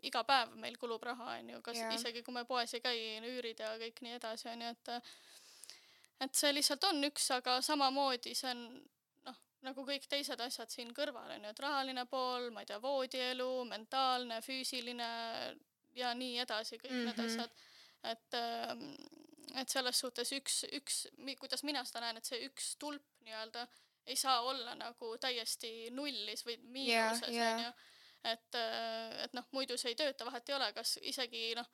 iga päev meil kulub raha, on ju, kas Jaa. isegi kui me poes ei käi, üürid ja kõik nii edasi, on ju, et et see lihtsalt on üks, aga samamoodi see on noh, nagu kõik teised asjad siin kõrval, on ju, et rahaline pool, ma ei tea, voodielu, mentaalne, füüsiline ja nii edasi, kõik mm-hmm. need asjad. Et, et selles suhtes üks, üks, kuidas mina seda näen, et see üks tulp nii-öelda ei saa olla nagu täiesti nullis või miinuses, yeah, yeah. on ju. Et, et noh, muidu see ei tööta, vahet ei ole, kas isegi noh,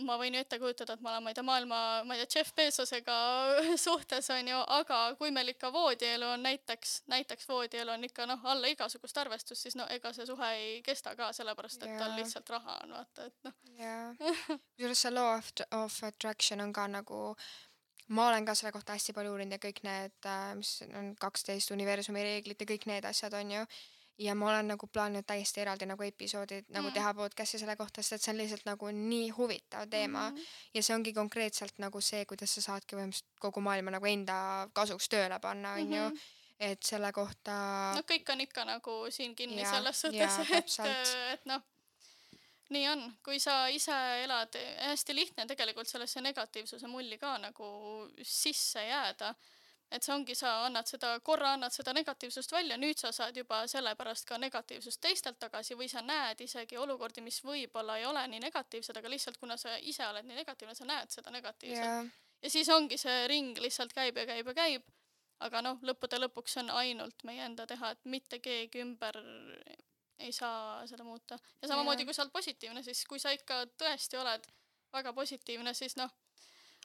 ma võin ju ette kujutada, et ma olen, ma ei tea, maailma, ma ei tea, Jeff Bezosega suhtes, on ju, aga kui meil ikka voodielu on näiteks, näiteks voodielu on ikka noh, alla igasugust arvestust, siis no ega see suhe ei kesta ka, sellepärast, et tal lihtsalt raha on, vaata, et noh. Jaa, kusjuures see law of, of attraction on ka nagu, ma olen ka selle kohta hästi palju uurinud ja kõik need, mis on kaksteist universumi reeglid ja kõik need asjad on ju. Ja ma olen nagu plaaninud täiesti eraldi nagu episoodid nagu mm. teha podcasti selle kohta, sest et see on lihtsalt nagu nii huvitav teema mm. ja see ongi konkreetselt nagu see, kuidas sa saadki võimaliselt kogu maailma nagu enda kasuks tööle panna, on ju, mm-hmm. et selle kohta... No kõik on ikka nagu siin kinni ja, selles suhtes, et, et noh, nii on, kui sa ise elad, hästi lihtne tegelikult sellesse negatiivsuse mulli ka nagu sisse jääda. Et see ongi, sa annad seda, korra annad seda negatiivsust välja, nüüd sa saad juba sellepärast ka negatiivsust teistelt tagasi või sa näed isegi olukordi, mis võib-olla ei ole nii negatiivsed, aga lihtsalt kuna sa ise oled nii negatiivne, sa näed seda negatiivselt. Yeah. Ja siis ongi see ring lihtsalt käib ja käib ja käib, aga noh, lõppude lõpuks on ainult meie enda teha, et mitte keegi ümber ei saa seda muuta. Ja samamoodi, yeah. kui sa oled positiivne, siis kui sa ikka tõesti oled väga positiivne, siis noh,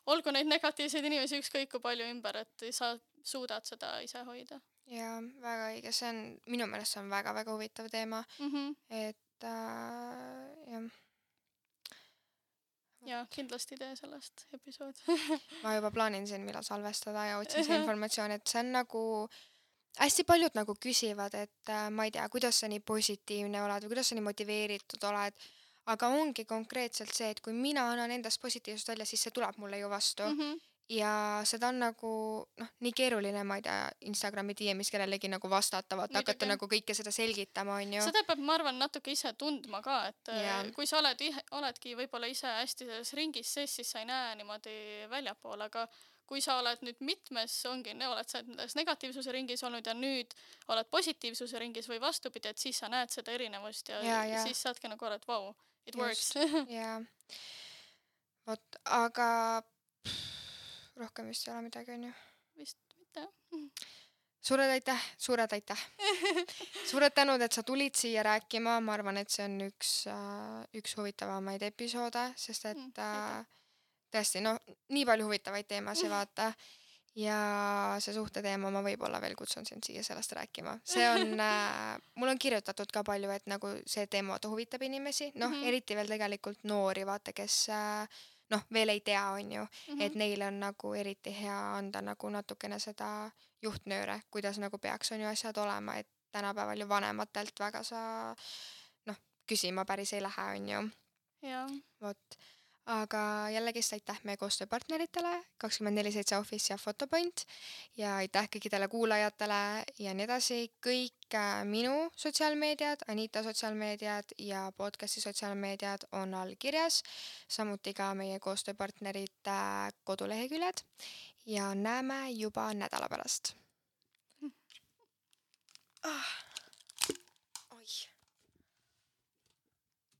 olgu neid negatiivseid inimesi ükskõik kui palju ümber, et sa suudad seda ise hoida. Jaa, väga õige, see on, minu meelest see on väga-väga huvitav teema, mm-hmm. et äh, jah. Ja kindlasti tee sellest episood. Ma juba plaanin siin, millal salvestada ja otsin see informatsioon, et see on nagu, hästi paljud nagu küsivad, et äh, ma ei tea, kuidas sa nii positiivne oled või kuidas sa nii motiveeritud oled. Aga ongi konkreetselt see, et kui mina annan endast positiivsust välja, siis see tuleb mulle ju vastu. Mm-hmm. Ja seda on nagu, noh, nii keeruline, ma ei tea, Instagrami D M-is kellelegi nagu vastata, vaata, hakata nagu kõike seda selgitama, on ju. Seda peab, ma arvan, natuke ise tundma ka, et yeah. kui sa oled, oledki võib-olla ise hästi selles ringis sees, siis sa ei näe niimoodi väljapool, aga kui sa oled nüüd mitmes, ongi, oled sa negatiivsuse ringis olnud ja nüüd oled positiivsuse ringis või vastupidi, et siis sa näed seda erinevust ja, ja, ja. siis saadki nagu aru, et vau, wow, it works. Jaa. Vot, aga pff, rohkem vist ei ole midagi, on ju? Vist mitte. Suured aitäh, suured aitäh. Suured tänud, et sa tulid siia rääkima. Ma arvan, et see on üks, üks huvitavamaid episoode, sest et mm, tõesti, no nii palju huvitavaid teemasid vaata ja see suhte teema ma võib-olla veel kutsun sind siia sellest rääkima. See on, äh, mul on kirjutatud ka palju, et nagu see teema huvitab inimesi, noh mm-hmm. eriti veel tegelikult noori vaata, kes äh, noh veel ei tea, on ju, mm-hmm. et neile on nagu eriti hea anda nagu natukene seda juhtnööre, kuidas nagu peaks on ju asjad olema, et tänapäeval ju vanematelt väga sa noh küsima päris ei lähe, on ju. Jaa. Vot. Aga jällegi aitäh meie koostööpartneritele, kakskümmend neli seitse Office ja Photopoint ja aitäh kõikidele kuulajatele ja nii edasi. Kõik minu sotsiaalmeediad, Anita sotsiaalmeediad ja podcasti sotsiaalmeediad on all kirjas, samuti ka meie koostööpartnerite koduleheküljed ja näeme juba nädala pärast. Ah.